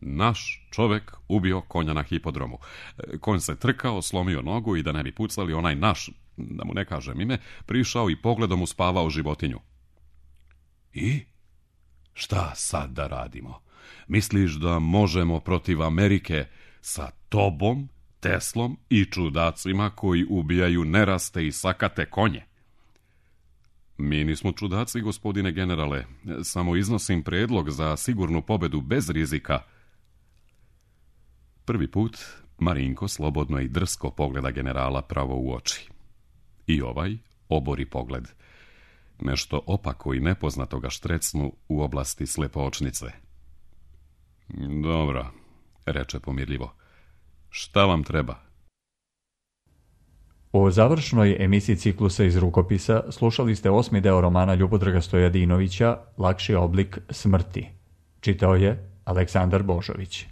Naš čovek ubio konja na hipodromu. Konj se trkao, slomio nogu i da ne bi pucali, onaj naš, da mu ne kažem ime, prišao i pogledom uspavao životinju. I? Šta sad da radimo? Misliš da možemo protiv Amerike sa tobom, Teslom i čudacima koji ubijaju neraste i sakate konje? Mi nismo čudaci, gospodine generale. Samo iznosim predlog za sigurnu pobedu bez rizika. Prvi put Marinko slobodno i drsko pogleda generala pravo u oči. I ovaj obori pogled. Nešto opako i nepoznato ga štrecnu u oblasti slepoočnice. Dobro, reče pomirljivo. Šta vam treba? U završnoj emisiji ciklusa iz rukopisa slušali ste 8. deo romana Ljubodraga Stojadinovića Lakši oblik smrti. Čitao je Aleksandar Božović.